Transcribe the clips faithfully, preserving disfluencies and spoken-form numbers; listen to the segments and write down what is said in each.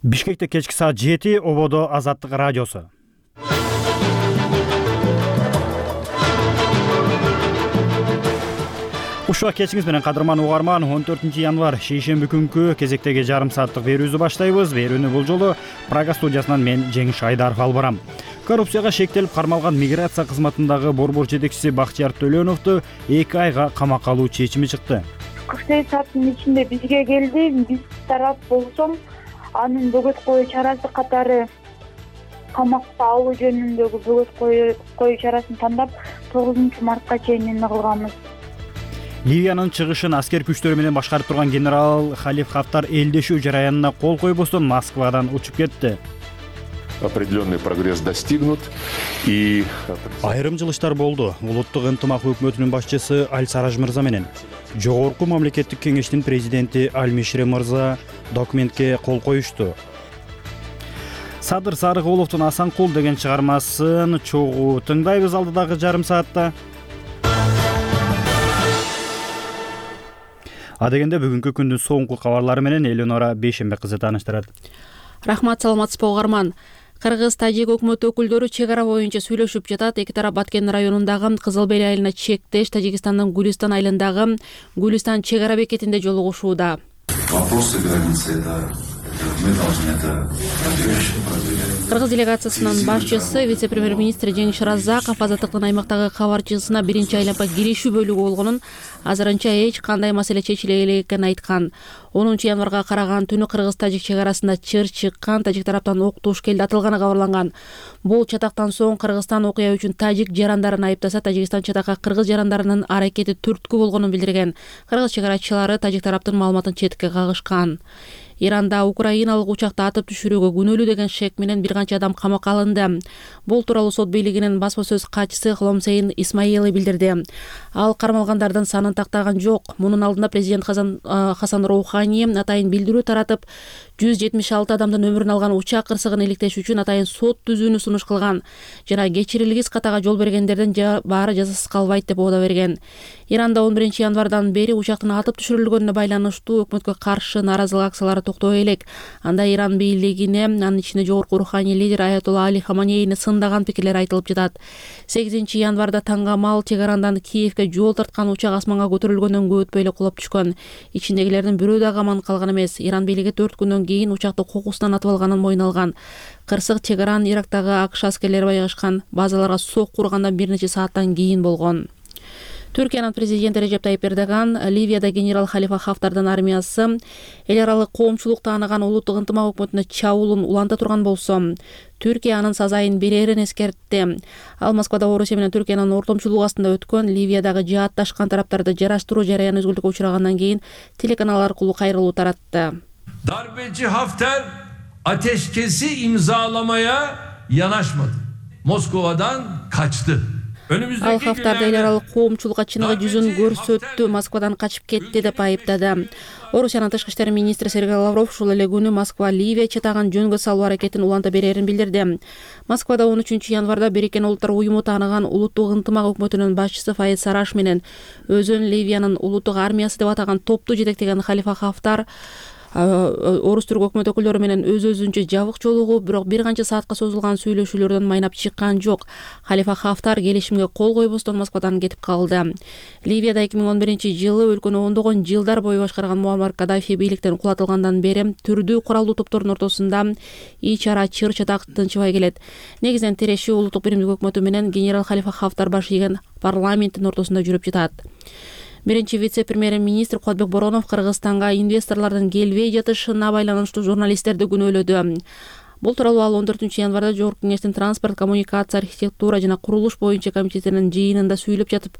Бишкекте кечки саат жети, Ободо Азаттык радиосу. Ушуга кечиңиз менен кадырман угарман, он төртүнчү январь шейшемби күнкү кезектеги жарым сааттык берүүбүздү баштайбыз. Берүүнү бул жолу Прага студиясынан мен Жеңиш Айдаров алып барам. Коррупцияга шектелип кармалган миграция кызматындагы борбор жетекчиси Бактияр Төлөновду эки айга камакка алуу чечими чыкты. кырк сегиз сааттын ичинде бизге келди. Биз тарап болсом, анын бөгөт коюу чарасы катары камакка алуу жөнүндөгү бөгөт коюу чарасын тандап, тогузунчу мартка чейин эмне кылганбыз. Ливиянын чыгышын аскер күчтөрү менен башкарып турган генерал Халиф Хафтар элдешүү жараянына кол койбостон Москвадан учуп кетти. Определенный прогресс достигнут и айрым жылыштар болду. Улуттук ынтымак өкмөтүнүн башчысы Аль-Сараж мырза менен Жогорку мамлекеттик кеңештин президенти Аль-Мишре мырза документке кол коюшту. Садыр Сарыгуловдун Асанкул деген чыгармасын чогуу тыңдайбыз алдыдагы жарым саатта. Адегенде бүгүнкү күндүн соңку кабарлары менен Элинора Бейшембек кызы тааныштырат. Рахмат, саламатсызбы угарман. Кыргыз тажик өкмөт өкүлдөрү чек ара боюнча сүйлөшүп жатат. Эки тарап Баткен районундагы Кызыл Бел айылына чектеш Тажикстандын Гулистан айылындагы Гулистан чек ара бекетинде жолугушууда. Вопросы границы это мы должны это проверять. Кыргыз делегациясынын башчысы вице-премьер-министр Жеңиш Разаков азаттыктын аймактагы кабарчысына биринчи айлампа киришүү бөлүгү болгонун, азырынча эч кандай маселе чечиле элек экенин айткан. онунчу январга караган түнү кыргыз-тажик чек арасында чыр чыккан, тажик тараптан ок туш келди атылганы кабарланган. Бул чатактан соң Кыргызстан окуя үчүн тажик жарандарын айыптаса, Тажикстан чатакка кыргыз жарандарынын аракети түрткү болгонун билдирген. Кыргыз чек-арачылары тажик тараптын маалыматын четке кагышкан. Иранда украиналык учакты атып түшүрүүгө күнөөлүү деген шек менен бир канча адам камакка алынды. Бул тууралуу сот бийлигинин басма сөз катчысы Хломсейн Исмаили билдирди. Ал кармалгандардын санын тактаган жок. Мунун алдында президент Хасан, Хасан Роухани атайын билдирүү таратып, жүз жетимиш алты адамдын өмүрүн алган учак кырсыгын иликтеш үчүн атайын сот түзүүнү сунуш кылган. Жана кечирилгис катага жол бергендердин баары жазасыз калбайт деп убада берген. Иранда он биринчи январдан бери учактын атып түшүрүлгөнүнө байланыштуу өкмөткө каршы нааразылык акциялары токтой элек. Анда Иран бийлигине, анын ичинде жогорку руханий лидер Аятолла Али Хаманейни сындаган пикирлер айтылып жатат. сегизинчи январда таңгамал чек арандан Киевге жол тарткан учак асманга көтөрүлгөндөн көп өтпөй эле кулап түшкөн. Ичиндегилердин бирөө дагы аман калган эмес. Иран бийлиги төрт күндөн кийин учакты кокусунан атып алганын мойнуна алган. Кырсык чек аран Ирактагы АКШ аскерлери байкашкан базаларга сокку ургандан бир нече сааттан кийин болгон. Түркиянын президенти Режеп Тайип Эрдоган Ливияда генерал Халифа Хафтардын армиясы эл аралык коомчулук тааныган улуттук ынтымак өкмөтүнө чабуулун уланта турган болсо, Түркия анын сазайын берерин эскертти. Ал Москвада Орусия менен Түркиянын ортомчулугу астында өткөн Ливиядагы жаатташкан тараптарды жараштыруу жарыяны өзгөлтүккө учрагандан кийин телеканал аркылуу кайрылуу таратты. Darbeci Hafter ateşkesi imzalamaya yanaşmadı. Moskova'dan kaçtı. Ал Хафтарды эл аралык коомчулукка чыныгы жүзүн көрсөттү, Москвадан качып кетти деп айыптады. Орусиянын тышкы иштер министри Сергей Лавров ушул эле күнү Москва Ливия чатагын жөнгө салуу аракетин уланта берерин билдирди. Москвада он үчүнчү январда Бириккен Улуттар уюму тааныган улуттук ынтымак өкмөтүнүн башчысы Фаид Сараш менен өзүн Ливиянын улуттук армиясы деп атаган топту жетектеген Халифа Хафтар Орус түрк өкмөт өкүлдөрү менен өз-өзүнчө жабык жолугуп, бирок бир канча саатка созулган сүйлөшүүлөрдөн майнап чыккан жок. Халифа Хафтар келишимге кол койбостон Москвадан кетип калды. Ливияда эки миң он биринчи жылы өлкөнү ондогон жылдар бою башкарган Муаммар Каддафи бийликтен кулатылгандан бери түрдүү куралдуу топтордун ортосунда ич ара чыр чатак тынчыбай келет. Негизинен тирешүү улуттук биримдик өкмөтү менен генерал Халифа Хафтар баш ийген парламенттин ортосунда жүрүп жатат. Биринчи вице-премьер-министр Кодбек Боронов Кыргызстанга инвесторлордун келбей жатышына байланыштуу журналисттерди күнөөлөдү. Бул тууралуу ал он төртүнчү январда Жогорку кеңештин транспорт, коммуникация, архитектура жана курулуш боюнча комитетинин жыйынында сүйлөп жатып,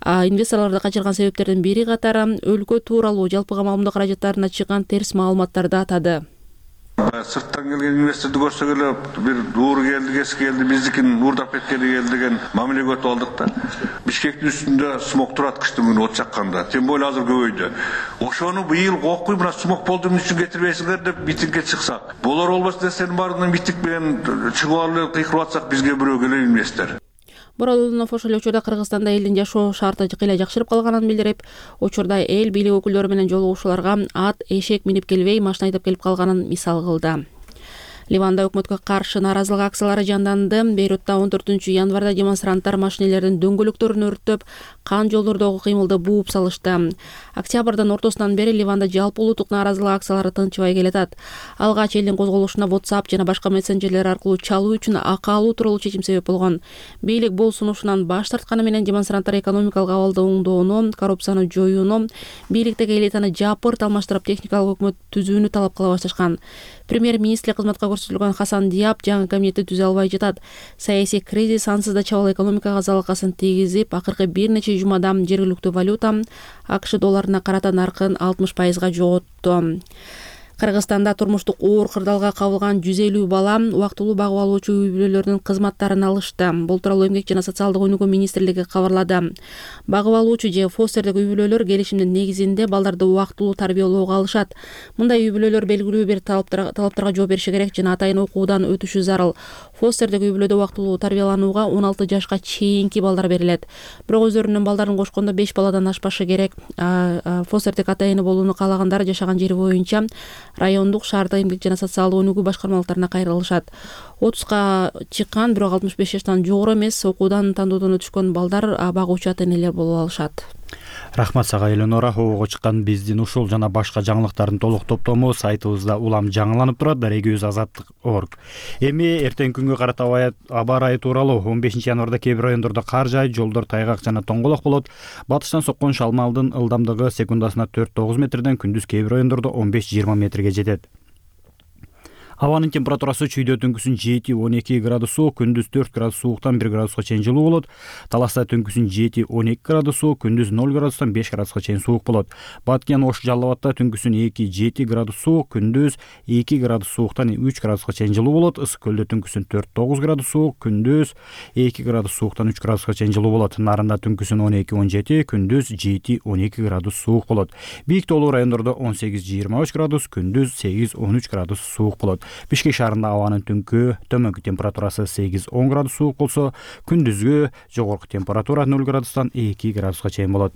инвесторлорду качырган себептердин бири катары өлкө тууралуу жалпыга маалымдоо каражаттарына чыккан терс маалыматтарды атады. Сырттан келген инвесторду көрсөк эле бир ууру келди, кеси келди, биздикин уурдап кеткени келди деген мамилеге өтүп алдык да. Бишкектин үстүндө смог турат кыштын күнү от жакканда. Тем более азыр көбөйдү. Ошону быйыл окуй, мына смог болду эмне үчүн кетирбейсиңер деп митингге чыксак. Болор болбос десенин баарынан митинг менен чыгып алып кыйкырып атсак, бизге бирөө келе инвестор. Бородунов ошол учурда Кыргызстанда элдин жашоо шарты кыйла жакшырып калганын билдирип, учурда эл бийлик өкүлдөрү менен жолугушууларга ат, эшек минип келбей, машина айдап келип калганын мисал кылды. Ливанда өкмөткө каршы нааразылык акциялары жанданды. Бейрутта он төртүнчү январда демонстранттар машинелердин дөңгөлөктөрүн өрттөп, кан жолдордогу кыймылды бууп салышты. Октябрдын ортосунан бери Ливанда жалпы улуттук нааразылык акциялары тынчыбай келатат. Алгач элдин козголушуна WhatsApp жана башка мессенджерлер аркылуу чалуу үчүн акы алуу тууралуу чечим себеп болгон. Бийлик бул сунушунан баш тартканы менен демонстранттар экономикалык абалды оңдоону, коррупцияны жоюуну, бийликтеги элитаны жапырт алмаштырып техникалык өкмөт түзүүнү талап кыла башташкан. Премьер-министр кызматка көрсөтүлгөн Хасан Диап жаңы кабинетти түзө албай жатат. Саясий кризис ансыз да чабал экономикага залалкасын тийгизип, акыркы бир нече жумада жергиликтүү валюта АКШ долларына карата наркын алтымыш пайызга жоготту. Кыргызстанда турмуштук оор кырдаалга кабылган жүз элүү бала убактылуу багып алуучу үй бүлөлөрдүн кызматтарын алышты. Бул тууралуу Эмгек жана социалдык өнүгүү министрлиги кабарлады. Багып алуучу же фостердик үй бүлөлөр келишимдин негизинде балдарды убактылуу тарбиялоого алышат. Мындай үй бүлөлөр белгилүү бир талаптарга жооп бериши керек жана атайын окуудан өтүшү зарыл. Фостердик үй бүлөдө убактылуу тарбияланууга он алты жашка чейинки балдар берилет. Бирок өздөрүнүн балдарын кошкондо беш баладан ашпашы керек. Фостердик атайыны болууну каалагандар жашаган жери боюнча райондук, шаардык эмгек жана социалдык өнүгүү башкармалыктарына кайрылышат. отузга чыккан, бирок алтымыш беш жаштан жогору эмес, окуудан, тандоодон өтүшкөн балдар багуучу ата-энелер боло алышат. Рахмат сага Эленора. Обого чыккан биздин ушул жана башка жаңылыктардын толук топтому сайтыбызда улам жаңыланып турат. Региоз азаттык точка орг. Эми эртең күнгө карата аба ырайы тууралуу. он бешинчи январда кээ бир райондордо кар жаайт, жолдор тайгак жана тоңголок болот. Батыштан соккон шалмалдын ылдамдыгы секундасына төрт тогуз метрден, күндүз кээ бир райондордо он беш жыйырма метрге жетет. Абанын температурасы чүйдө түнкүсүн жети он эки градус суук, күндүз төрт градус сууктан бир градуска чейин жылуу болот. Таласта түнкүсүн жети он эки градус суук, күндүз ноль градустан беш градуска чейин суук болот. Баткен Ош Жалал Абадта түнкүсүн эки жети градус суук, күндүз эки градус сууктан үч градуска чейин жылуу болот. Ысык көлдө түнкүсүн төрт тогуз градус суук, күндүз эки градус сууктан үч градуска чейин жылуу болот. Нарында түнкүсүн он эки он жети, күндүз жети он эки градус суук болот. Бийик тоолуу райондордо он сегиз жыйырма үч градус, күндүз сегиз он үч градус суук болот. Бишкек шаарында абанын түнкү төмөнкү температурасы сегиз он градус суук болсо, күндүзгү жогорку температура ноль градустан эки градуска чейин болот.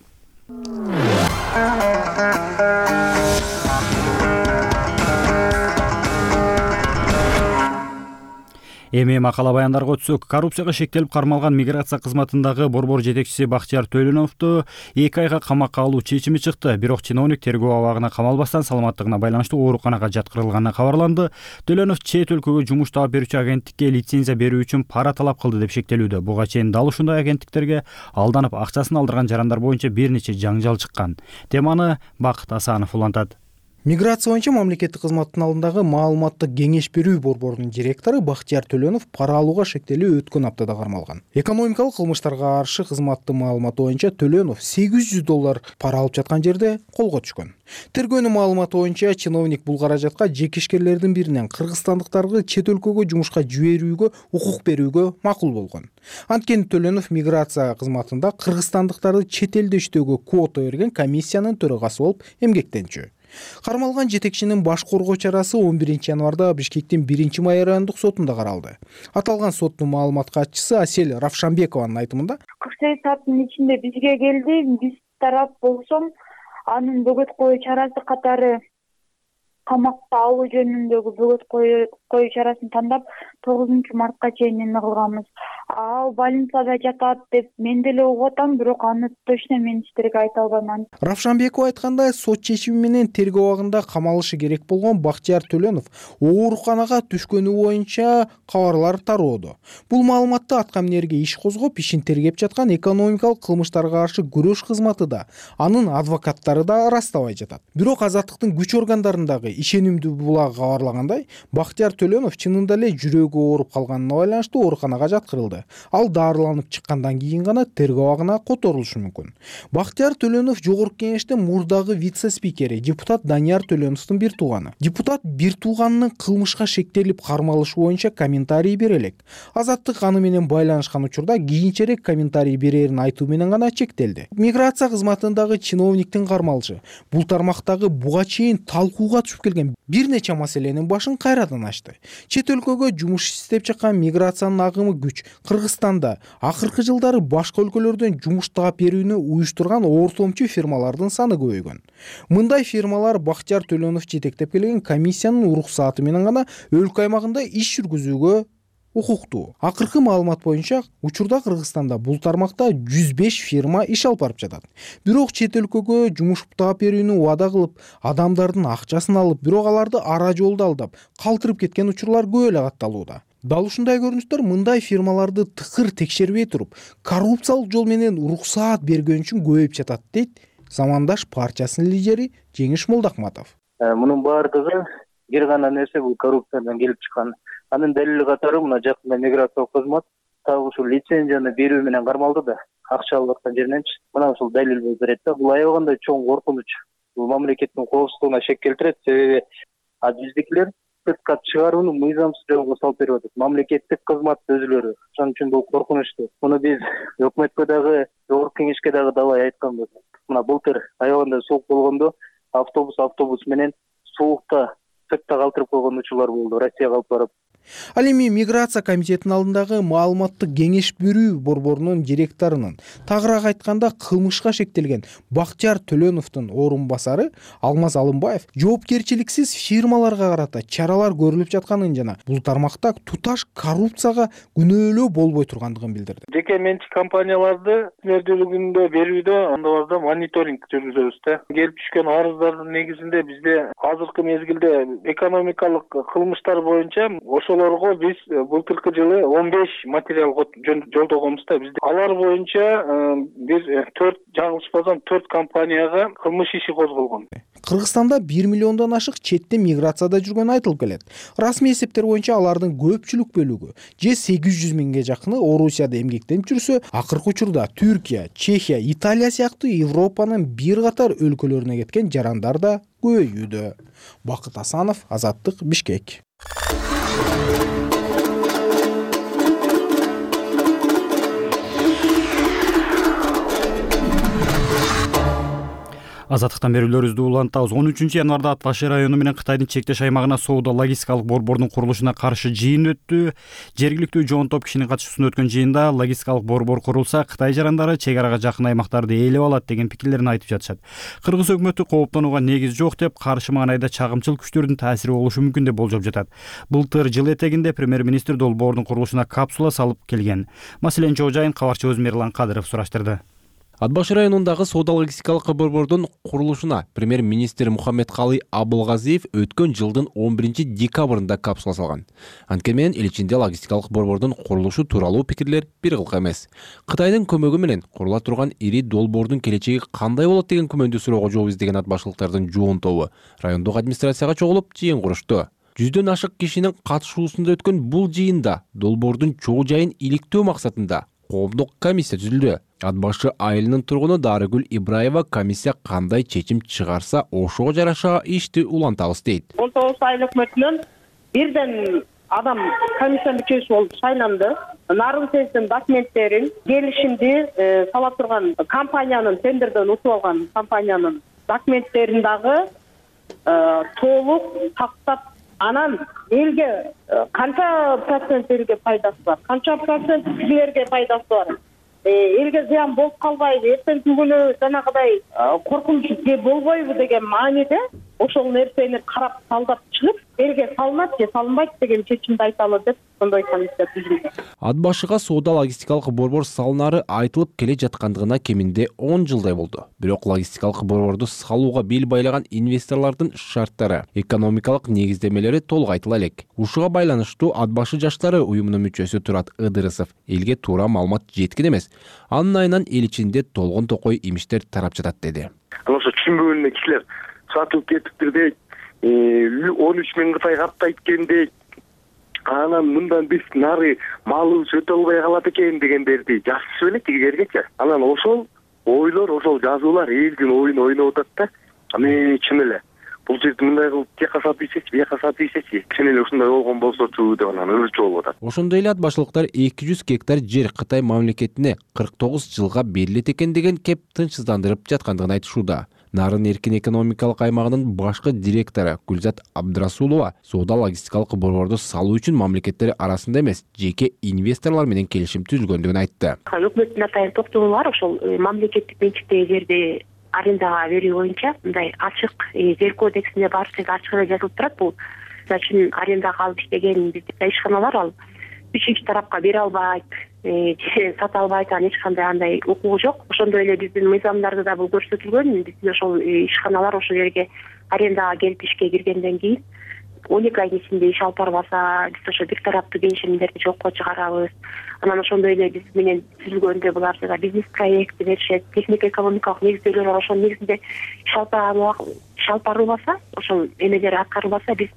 Эми макала баяндарга өтсөк, коррупцияга шектелип кармалган миграция кызматындагы борбор жетекчиси Бактияр Төлөновду эки айга камакка алуу чечими чыкты. Бирок чиновник тергөө абагына камалбастан саламаттыгына байланыштуу ооруканага жаткырылганы кабарланды. Төлөнов чет өлкөгө жумуш таап берүүчү агенттикке лицензия берүү үчүн пара талап кылды деп шектелүүдө. Буга чейин дал ушундай агенттиктерге алданып акчасын алдырган жарандар боюнча бир нече жаңжал чыккан. Теманы Бакыт Асанов улантат. Миграция боюнча мамлекеттик кызматтын алдындагы маалыматтык кеңеш берүү борборунун директору Бактияр Төлөнов пара алууга шектелүү өткөн аптада кармалган. Экономикалык кылмыштарга каршы кызматтын маалыматы боюнча Төлөнов сегиз жүз доллар пара алып жаткан жерде колго түшкөн. Тергөөнүн маалыматы боюнча чиновник бул каражатка жекешкерлердин биринен кыргызстандыктарды чет өлкөгө жумушка жиберүүгө укук берүүгө макул болгон. Анткени Төлөнов миграция кызматында кыргызстандыктарды чет элде иштөөгө квота берген комиссиянын төрагасы болуп эмгектенчү. Кармалган жетекчинин баш коргоо чарасы он биринчи январда Бишкектин биринчи май райондук сотунда каралды. Аталган соттун маалымат катчысы Асель Равшанбекованын айтымында, кырк сегиз сааттын ичинде бизге келди. Биз тарап болсом, анын бөгөт коюу чарасы катары камакка алуу жөнүндөгү бөгөт коюу чарасын тандап тогузунчу мартка чейин эме кылганбыз. Ал больницада жатат деп мен деле угуп атам, бирок аны точно мен эчтерге айта албайм. Равшанбекова айткандай, сот чечими менен тергөө абагында камалышы керек болгон Бактияр Төлөнов ооруканага түшкөнү боюнча кабарлар тароодо. Бул маалыматты аткаминерге иш козгоп, ишин тергеп жаткан экономикалык кылмыштарга каршы күрөш кызматы да, анын адвокаттары да ырастабай жатат. Бирок азаттыктын күч органдарындагы ишенимдүү булага кабарлагандай, Бактияр Төлөнов чынында эле жүрөгү ооруп калганына байланыштуу ооруканага жаткырылды. Ал дарыланып чыккандан кийин гана тергөө абагына которулушу мүмкүн. Бактияр Төлөнов жогорку кеңештин мурдагы вице-спикери, депутат Данияр Төлөновдун бир тууганы. Депутат бир тууганынын кылмышка шектелип кармалышы боюнча комментарий бере элек. Азаттык аны менен байланышкан учурда кийинчерээк комментарий берерин айтуу менен гана чектелди. Миграция кызматындагы чиновниктин кармалышы бул тармактагы буга чейин талкууга түшүп өсүп келген бир нече маселенин башын кайрадан ачты. Чет өлкөгө жумуш издеп чыккан миграциянын агымы күч. Кыргызстанда акыркы жылдары башка өлкөлөрдөн жумуш таап берүүнү уюштурган ортомчу фирмалардын саны көбөйгөн. Мындай фирмалар Бактияр Төлөнов жетектеп келген комиссиянын уруксааты менен гана өлкө аймагында иш жүргүзүүгө укуктуу. Акыркы маалымат боюнча учурда Кыргызстанда бул тармакта жүз беш фирма иш алып барып жатат. Бирок чет өлкөгө жумуш таап берүүнү убада кылып, адамдардын акчасын алып, бирок аларды ара жолдо алдап, калтырып кеткен учурлар көп эле катталууда. Дал ушундай көрүнүштөр мындай фирмаларды тыкыр текшербей туруп, коррупциялык жол менен уруксаат бергөн үчүн көбөйүп жатат, дейт Замандаш партиясынын лидери Жеңиш Молдокматов. Мунун баардыгы бир гана нерсе, бул коррупциядан келип чыккан. Анын далили катары мына жакында миграциялык кызмат так ушул лицензияны берүү менен кармалды да, акча алып аткан жериненчи. Мына ушул далил болуп берет да. Бул аябагандай чоң коркунуч. Бул мамлекеттин коопсуздугуна шек келтирет. Себеби биздикилер сыртка чыгарууну мыйзамсыз жолго салып берип атат. Мамлекеттик кызмат өзүлөрү. Ошон үчүн бул коркунучтуу. Муну биз өкмөткө дагы, жогорку кеңешке дагы далай айтканбыз. Мына былтыр аябагандай суук болгондо автобус автобус менен суукта сыртта калтырып койгон учурлар болду, Россияга алып барып. Ал эми миграция комитетинин алдындагы маалыматтык кеңеш берүү борборунун директорунун, тагыраак айтканда кылмышка шектелген Бактияр Төлөновдун орун басары Алмаз Алымбаев жоопкерчиликсиз фирмаларга карата чаралар көрүлүп жатканын жана бул тармакта туташ коррупцияга күнөөлөө болбой тургандыгын билдирди. Жеке менчик компанияларды мердүүлүгүндө берүүдө андайларда мониторинг жүргүзөбүз да. Келип түшкөн арыздардын негизинде бизде азыркы мезгилде экономикалык кылмыштар боюнча ошолорго биз былтыркы жылы он беш материал жолдогонбуз да. Бизде алар боюнча бир төрт жаңылышпасам төрт компанияга кылмыш иши козголгон. Кыргызстанда бир миллиондон ашык четте миграцияда жүргөнү айтылып келет. Расмий эсептер боюнча алардын көпчүлүк бөлүгү же сегиз жүз миңге жакыны Орусияда эмгектенип жүрсө, акыркы учурда Түркия, Чехия, Италия сыяктуу Европанын бир катар өлкөлөрүнө кеткен жарандар да көбөйүүдө. Бакыт Асанов, Азаттык, Бишкек. Азаттыктан берүүлөрүбүздү улантабыз. он үчүнчү январда Ат Башы району менен Кытайдын чектеш аймагына соода логистикалык борбордун курулушуна каршы жыйын өттү. Жергиликтүү жоон топ кишинин катышуусунда өткөн жыйында логистикалык борбор курулса, Кытай жарандары чек арага жакын аймактарды ээлеп алат деген пикирлерин айтып жатышат. Кыргыз өкмөтү кооптонууга негиз жок деп, каршы маанайда чагымчыл күчтөрдүн таасири болушу мүмкүн деп болжоп жатат. Былтыр жыл этегинде премьер-министр долбоордун курулушуна капсула салып келген. Маселени чоо жайын кабарчыбыз Мерлан Кадыров сураштырды. Ат Башы районундагы соода логистикалык борбордун курулушуна премьер-министр Мухаммедкалый Абылгазиев өткөн жылдын он биринчи декабрында капсула салган. Анткени менен эл ичинде логистикалык борбордун курулушу тууралуу пикирлер бир кылка эмес. Кытайдын көмөгү менен курула турган ири долбоордун келечеги кандай болот деген күмөндүү суроого жооп издеген ат башылыктардын жоон тобу райондук администрацияга чогулуп жыйын курушту. Жүздөн ашык кишинин катышуусунда өткөн бул жыйында долбоордун чоо жайын иликтөө максатында коомдук комиссия түзүлдү. Ат Башы айылынын тургуну Дарыгүл Ибраева комиссия кандай чечим чыгарса ошого жараша ишти улантабыз дейт. он тогуз айыл өкмөтүнөн бирден адам комиссия мүчөсү болуп шайланды. Нарын сездин документтерин, келишимди сала турган компаниянын, тендерден утуп алган компаниянын документтерин дагы толук тактап, анан элге канча процент элге пайдасы бар, канча процент силерге пайдасы бар, элге зыян болуп калбайбы, эртеңки күнү жанагыдай коркунуч болбойбу деген мааниде ошол нерсени карап талдап чыгып, элге салынат же салынбайт деген чечимди айталы деп сондай комиссия түзүлдү. Ат Башыга соода логистикалык борбор салынары айтылып келе жаткандыгына кеминде он жылдай болду. Бирок логистикалык борборду салууга бел байлаган инвесторлордун шарттары, экономикалык негиздемелери толук айтыла элек. Ушуга байланыштуу Ат Башы жаштары уюмунун мүчөсү Турат Ыдырысов элге туура маалымат жеткен эмес. Анын айынан эл ичинде толгон токой имиштер тарап жатат деди. Ошо түшүнбөгөн кишилер сатылып кетиптирдей, он үч миң Кытай каптайт экендей, анан мындан биз нары малыбыз өтө албай калат экен дегендерди жазышып элек тигилергечи. Анан ошол ойлор, ошол жазуулар элдин оюн ойноп атат да. Аны чын эле бул жерди мындай кылып тияка сатып ийсечи, бияка сатып ийсечи, чын эле ушундай болгон болсочу деп анан өзүчө болуп атат. Ошондой эле ат башылыктар эки жүз гектар жер Кытай мамлекетине кырк тогуз жылга берилет экен деген кеп тынчсыздандырып жаткандыгын айтышууда. Нарын эркин экономикалык аймагынын башкы директору Гүлзат Абдрасулова соода логистикалык борборду салуу үчүн мамлекеттер арасында эмес, жеке инвесторлор менен келишим түзүлгөндүгүн айтты. Өкмөттүн атайын токтогуу бар, ошол мамлекеттик менчиктеги жерди арендага берүү боюнча мындай ачык жер кодексинде баары ачык эле жазылып турат. Бул мисалы үчүн арендага алып иштеген биздин ишканалар ал үчүнчү тарапка бере албайт, же сата албайт, анан эч кандай андай укугу жок. Ошондой эле биздин мыйзамдарда да бул көрсөтүлгөн. Биздин ошол ишканалар ошол жерге арендага келип ишке киргенден кийин он эки айдын ичинде иш алып барбаса, биз ошо бир тараптуу келишимдерди жокко чыгарабыз. Анан ошондой эле биз менен түзүлгөндө булар жана бизнес проекти беришет, техник экономикалык негиздөлөр бар. Ошонун негизинде иш алып барылбаса, ошол эмелер аткарылбаса, биз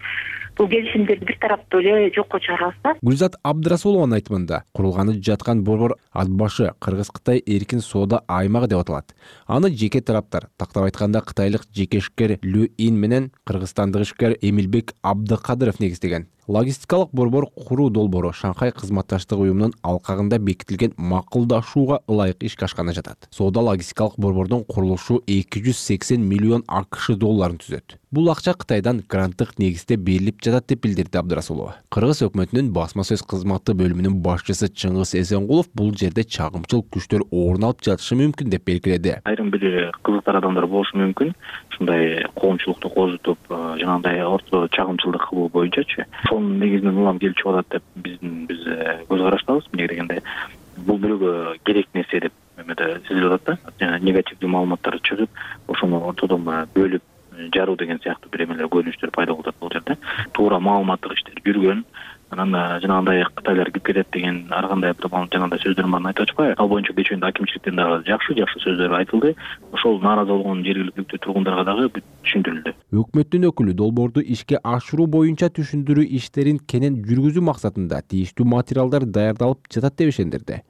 бул келишимдерди бир тараптуу эле жокко чыгарабыз да. Гүлзат Абдрасулованын айтымында, курулганы жаткан борбор ат башы Кыргыз-Кытай эркин соода аймагы деп аталат. Аны жеке тараптар, тактап айтканда кытайлык жеке ишкер Лю Ин менен кыргызстандык ишкер Эмилбек Абдыкадыров негиздеген. Логистикалык борбор куруу долбоору Шанхай кызматташтык уюмунун алкагында бекитилген макулдашууга ылайык ишке ашканы жатат. Соода логистикалык борбордун курулушу эки жүз сексен миллион АКШ долларын түзөт. Бул акча Кытайдан гранттык негизде берилип жатат деп билдирди Абдрасулова. Кыргыз өкмөтүнүн басма сөз кызматы бөлүмүнүн башчысы Чыңгыз Эсенгулов бул жерде чагымчыл күчтөр орун алып жатышы мүмкүн деп белгиледи. Айрым бир кызыктар адамдар болушу мүмкүн. Ушундай коомчулукту козутуп, жанагындай орто чагымчылдык кылуу боюнчачы. Сонун негизинен улам келип чыгып атат деп биздин биз көз караштабыз. Эмне дегенде бул бирөөгө керек нерсе деп эмеде сезилип атат да. Жана негативдүү маалыматтар чыгып, ошону ортодон бөлүп жаруу деген сыяктуу бир эмелер көрүнүштөр пайда болуп атат бул жерде. Туура маалыматтык иштер жүргөн. Анан жанагындай Кытайлар кирип кетет деген ар кандай бир жанагындай сөздөрдүн баарын айтып атышпайбы? Ал боюнча кечээндө акимчиликтен дагы жакшы жакшы сөздөр айтылды. Ошол нааразы болгон жергиликтүү тургундарга дагы түшүндүрүлдү. Өкмөттүн өкүлү долбоорду ишке ашыруу боюнча түшүндүрүү иштерин кенен жүргүзүү максатында тийиштүү материалдар даярдалып жатат деп ишендирди.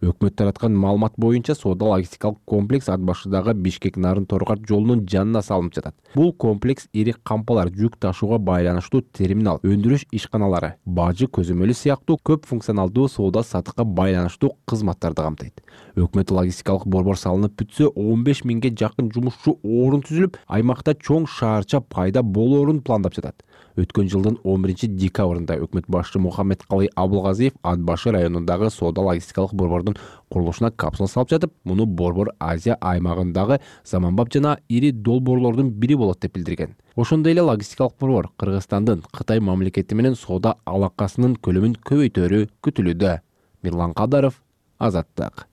Өкмөт тараткан маалымат боюнча соода логистикалык комплекс ат башыдагы Бишкек Нарын Торгар жолунун жанына салынып жатат. Бул комплекс ири кампалар, жүк ташууга байланыштуу терминал, өндүрүш ишканалары, бажы көзөмөлү сыяктуу көп функционалдуу соода сатыкка байланыштуу кызматтарды камтыйт. Өкмөт логистикалык борбор салынып бүтсө, он беш миңге жакын жумушчу орун түзүлүп, аймакта чоң шаарча пайда болоорун пландап жатат. Өткөн жылдын он биринчи декабрында өкмөт башчы Мухаммедкалый Абылгазиев Ат башы районундагы соода логистикалык борбордун курулушуна капсула салып жатып, муну борбор Азия аймагындагы заманбап жана ири долбоорлордун бири болот деп билдирген. Ошондой эле логистикалык борбор Кыргызстандын Кытай мамлекети менен соода алакасынын көлөмүн көбөйтөрү күтүлүүдө. Мирлан Кадаров, Азаттык.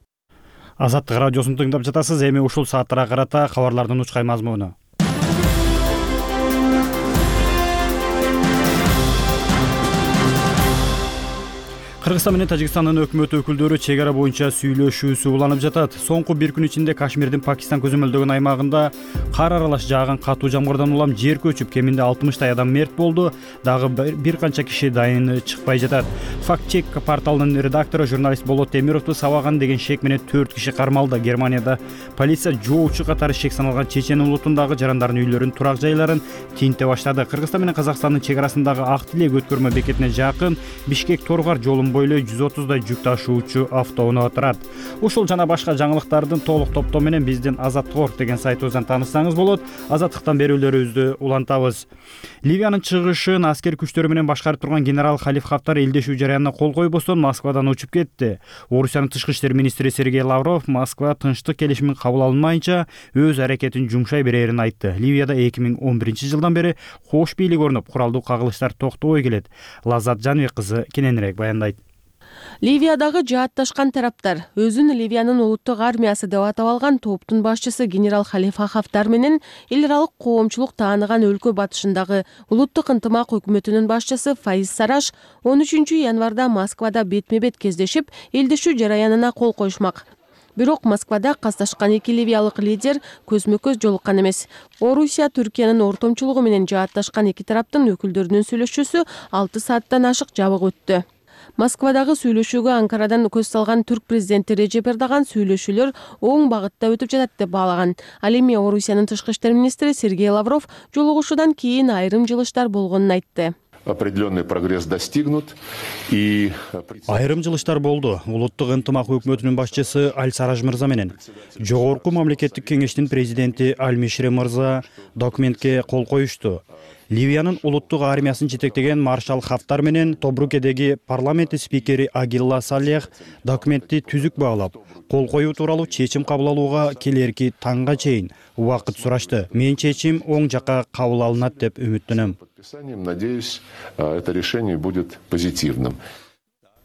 Азаттык радиосун тыңдап жатасыз. Эми ушул сааттарга карата кабарлардын учкай мазмуну. Кыргызстан менен Тажикстандын өкмөт өкүлдөрү чек ара боюнча сүйлөшүүсү уланып жатат. Соңку бир күн ичинде Кашмирдин Пакистан көзөмөлдөгөн аймагында кар аралаш жааган катуу жамгырдан улам жер көчүп, кеминде алтымыштай адам мерт болду. Дагы бир канча киши дайын чыкпай жатат. Факт-чек порталынын редактору журналист Болот Темировду сабаган деген шек менен төрт киши кармалды. Германияда полиция жоочу катары шек саналган чечен улутундагы жарандардын үйлөрүн, турак жайларын тинте баштады. Кыргызстан менен Казакстандын чек арасындагы Ак Тилек өткөрмө бекетине жакын Бишкек Торгар жолун бойлой жүз отуздай жүк ташуучу автоунаа турат. Ушул жана башка жаңылыктардын толук топтоо менен биздин Азаттык орг деген сайтыбыздан тааныссаңыз болот. Азаттыктан берүүлөрүбүздү улантабыз. Ливиянын чыгышын аскер күчтөрү менен башкарып турган генерал Халиф Хафтар элдешүү жараянына кол койбостон Москвадан учуп кетти. Орусиянын тышкы иштер министри Сергей Лавров Москва тынчтык келишими кабыл алынмайынча өз аракетин жумшай берерин айтты. Ливияда эки миң он биринчи жылдан бери кош бийлик орнуп, куралдуу кагылыштар токтобой келет. Лаззат Жаныбек кызы кененирээк баяндайт. Ливиядагы жаатташкан тараптар өзүн Ливиянын улуттук армиясы деп атап алган топтун башчысы генерал Халифа Хафтар менен эл аралык коомчулук тааныган өлкө батышындагы улуттук ынтымак өкмөтүнүн башчысы Фаиз Сараш он үчүнчү январда Москвада бетме-бет кездешип, элдешүү жараянына кол коюшмак. Бирок Москвада касташкан эки ливиялык лидер көзмө-көз жолуккан эмес. Орусия Түркиянын ортомчулугу менен жаатташкан эки тараптын өкүлдөрүнүн сүйлөшүүсү алты сааттан ашык жабык өттү. Москвадагы сүйлөшүүгө Анкарадан көз салган түрк президенти Режеп Эрдоган сүйлөшүүлөр оң багытта өтүп жатат деп баалаган. Ал эми Орусиянын тышкы иштер министри Сергей Лавров жолугушуудан кийин айрым жылыштар болгонун айтты. определенный прогресс достигнут и айрым жылыштар болду. Улуттук ынтымак өкмөтүнүн башчысы Аль Сараж мырза менен жогорку мамлекеттик кеңештин президенти Аль Мишре мырза документке кол коюшту. Ливиянын улуттук армиясын жетектеген маршал Хафтар менен Тобрукедеги парламенти спикери Агилла Салех документти түзүк баалап, кол коюу тууралуу чечим кабыл алууга келерки таңга чейин убакыт сурашты. Мен чечим оң жакка кабыл алынат деп үмүттөнөм. Надеюсь, это решение будет позитивным.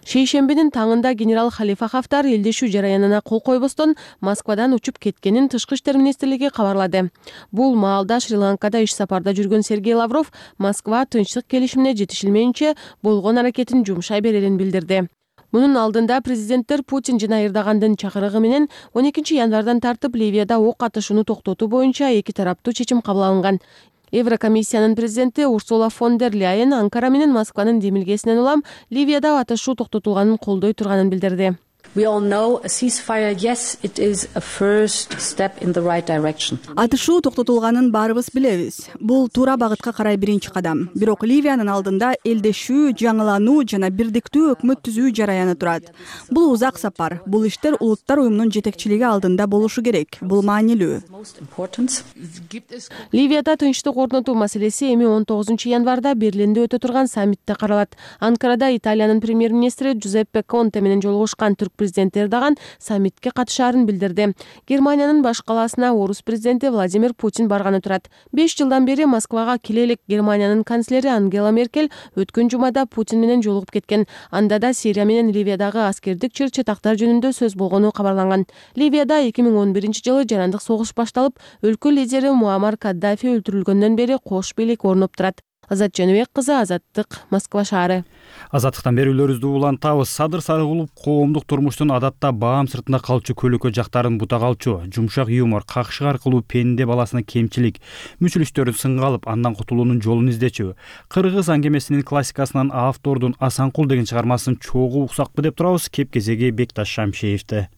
Шейшембинин таңында генерал Халифа Хафтар элдешүү жараянына кол койбостон Москвадан учуп кеткенин Тышкы иштер министрлиги кабарлады. Бул маалда Шри-Ланкада иш сапарда жүргөн Сергей Лавров Москва тынчтык келишимине жетишилмейинче болгон аракетин жумшай берерин билдирди. Мунун алдында президенттер Путин жана Эрдогандын чакырыгы менен он экинчи январдан тартып Ливияда ок атышууну токтотуу боюнча эки тараптуу чечим кабыл алынган. Еврокомиссиянын президенти Урсула фон дер Ляйен Анкара менен Москванын демилгесинен улам Ливияда атышуу токтотулганын колдой турганын билдирди. Атышуу токтотулганын баарыбыз билебиз. Бул туура багытка карай биринчи кадам. Бирок Ливиянын алдында элдешүү, жаңылануу жана бирдиктүү өкмөт түзүү жараяны турат. Бул узак сапар. Бул иштер улуттар уюмунун жетекчилиги алдында болушу керек. Бул маанилүү. Ливияда тынчтык орнотуу маселеси эми он тогузунчу январда Берлинде өтө турган саммитте каралат. Анкарада Италиянын премьер-министри Джузеппе Конте менен жолугушкан түрк президенти Эрдоган саммитке катышаарын билдирди. Германиянын баш калаасына орус президенти Владимир Путин барганы турат. беш жылдан бери Москвага келе элек Германиянын канцлери Ангела Меркель өткөн жумада Путин менен жолугуп кеткен. Анда да Сирия менен Ливиядагы аскердик чыр-чатактар жөнүндө сөз болгону кабарланган. Ливияда эки миң он биринчи жылы жарандык согуш башталып, өлкө лидери Муаммар Каддафи өлтүрүлгөндөн бери кош бийлик орноп турат. Азат Жөнөбек кызы, Азаттык, Москва шаары. Азаттыктан берүүлөрүбүздү улантабыз. Садыр Сарыгулов коомдук турмуштун адатта баам сыртында калчу көлөкө жактарын бута калчу. Жумшак юмор, какшык аркылуу пенде баласына кемчилик, мүчүлүштөрүн сынга алып, андан кутулуунун жолун издечү. Кыргыз аңгемесинин классикасынан автордун Асанкул деген чыгармасын чогуу уксакпы деп турабыз. Кеп кезеги Бекташ Шамшеевде.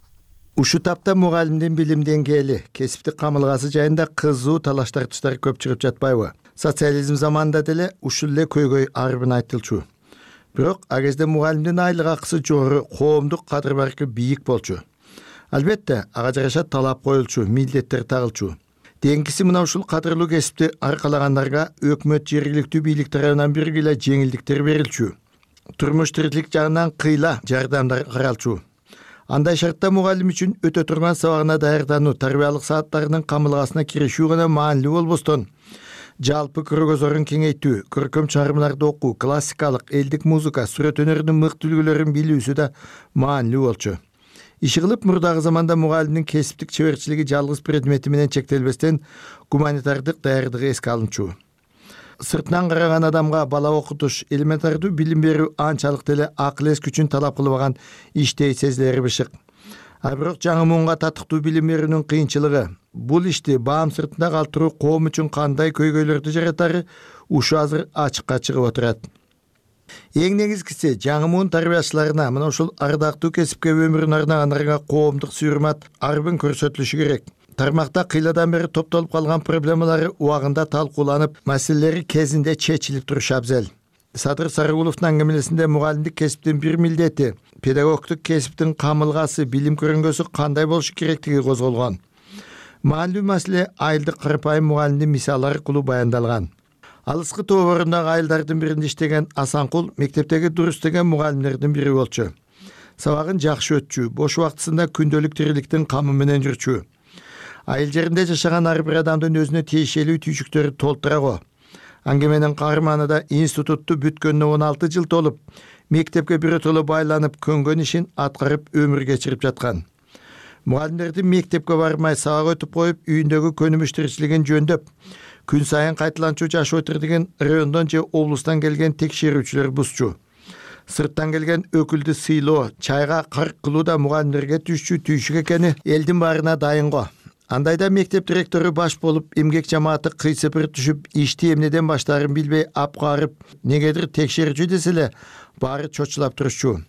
Ушул тапта мугалимдин билим деңгээли, кесиптик камылгасы жайында кызуу талаш тартыштар көп чыгып жатпайбы? Социализм заманында деле ушул эле көйгөй арбын айтылчу. Бирок ал кезде мугалимдин айлык акысы жогору, коомдук кадыр баркы бийик болчу. Албетте, ага жараша талап коюлчу, милдеттер тагылчу. Деңгиси мына ушул кадырлуу кесипти аркалагандарга өкмөт жергиликтүү бийлик тарабынан биргеле жеңилдиктер берилчү. Турмуш тиричилик жагынан кыйла жардамдар каралчу. Андай шартта мугалим үчүн өтө турган сабагына даярдануу, тарбиялык сааттарынын камылгасына киришүү гана маанилүү болбостон, жалпы көргөзөрүн кеңейтүү, көркөм чыгармаларды окуу, классикалык, элдик музыка, сүрөт өнөрүнүн мыкты үлгүлөрүн билүүсү да маанилүү болчу. Иши кылып мурдагы заманда мугалимдин кесиптик чеберчилиги жалгыз предмети менен чектелбестен гуманитардык даярдыгы эске алынчу. Сыртынан караган адамга бала окутуш, элементардуу билим берүү анчалык деле акыл эс күчүн талап кылбаган иштей сезилери бышык. А бирок жаңы муунга татыктуу билим берүүнүн кыйынчылыгы, бул ишти баам сыртында калтыруу коом үчүн кандай көйгөйлөрдү жаратары ушу азыр ачыкка чыгып отурат. Эң негизгиси жаңы муун тарбиячыларына, мына ушул ардактуу кесипке өмүрүн арнагандарга коомдук сүрмат арбын көрсөтүлүшү керек. Тармакта кыйладан бери топтолуп калган проблемалары убагында талкууланып, маселелери кезинде чечилип турушу абзел. Садыр Сарыгуловдун аңгемелесинде мугалимдик кесиптин бир милдети, педагогтук кесиптин камылгасы, билим көрүнгөсү кандай болушу керектиги козголгон. Маанилүү маселе айылдык карапайым мугалимдин мисалы аркылуу баяндалган. Алыскы тоборундагы айылдардын биринде иштеген Асанкул мектептеги дурус деген мугалимдердин бири болчу. Сабагын жакшы өтчү, бош убактысында күндөлүк тириликтин камы менен жүрчү. Айыл жеринде жашаган ар бир адамдын өзүнө тиешелүү түйшүктөрү толтура го. Аңгеменин каарманы да институтту бүткөнүнө он алты жыл толуп, мектепке биротоло байланып, көнгөн ишин аткарып өмүр кечирип жаткан. Мугалимдердин мектепке бармай сабак өтүп коюп, үйүндөгү көнүмүш тиричилигин жөндөп, күн сайын кайталанчу жашоо өтүрдүгүн райондон же облустан келген текшерүүчүлөр бузчу. Сырттан келген өкүлдү сыйлоо, чайга карк кылуу да мугалимдерге түшчү түйшүк экени элдин баарына дайын го. Андайда мектеп директору баш болуп, эмгек жамааты кыйсыпыр түшүп, ишти эмнеден баштаарын билбей апкарып, негедир текшерүүчү деселе, баары чочулап турушчу.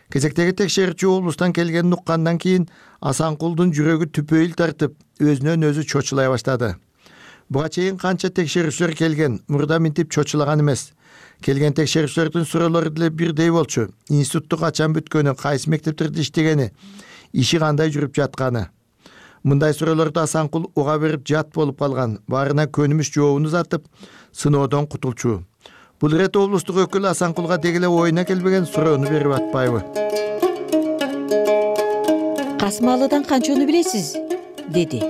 Кезектеги текшерүүчү облустан келгенин уккандан кийин Асанкулдун жүрөгү түпөйүл тартып, өзүнөн өзү чочулай баштады. Буга чейин канча текшерүүчүлөр келген, мурда минтип чочулаган эмес. Келген текшерүүчүлөрдүн суроолору деле бирдей болчу. Институтту качан бүткөнү, кайсы мектептерде иштегени, иши кандай жүрүп жатканы. Мындай суроолорду Асанкул уга берип жат болуп калган. Баарына көнүмүш жообун узатып, сыноодон кутулчу. Бул ирет облустук өкүл Асанкулга дегеле оюна келбеген суроону берип атпайбы? Касымалыдан канчаны билесиз? Деди.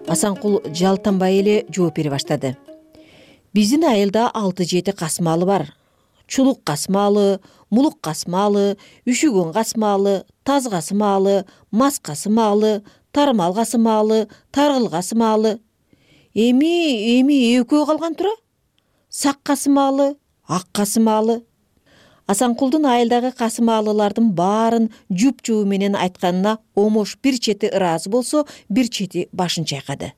Асанкул жалтанбай эле жооп бере баштады. Биздин айылда алты жети касымалы бар. Чулук касымалы, мулук касымалы, үшүгөн касымалы, таз касымалы, мас касымалы, тармал касымалы, таргыл касымалы. Эми эми экөө калган тура. Сак касымалы, ак касымалы. Асанкулдун айылдагы касымалылардын баарын жуп-жуу менен айтканына Омош бир чети ыраазы болсо, бир чети башын чайкады.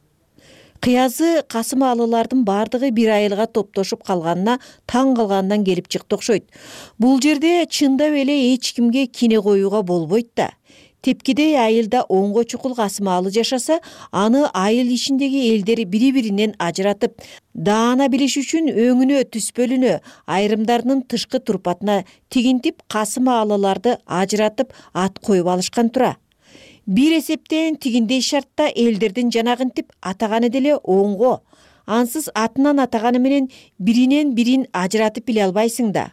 Кыязы касымалылардын бардыгы бир айылга топтошуп калганына таң калгандан келип чыкты окшойт. Бул жерде чындап эле эч кимге кине коюуга болбойт да. Тепкидей айылда онго чукул касымалы жашаса, аны айыл ичиндеги элдер бири-биринен ажыратып, даана билиш үчүн өңүнө түспөлүнө, айрымдарынын тышкы турпатына тигинтип касымалыларды ажыратып ат коюп алышкан тура. Бир эсептен тигиндей шартта элдердин жанагынтип атаганы деле оңго. Ансыз атынан атаганы менен биринен бирин ажыратып биле албайсың да.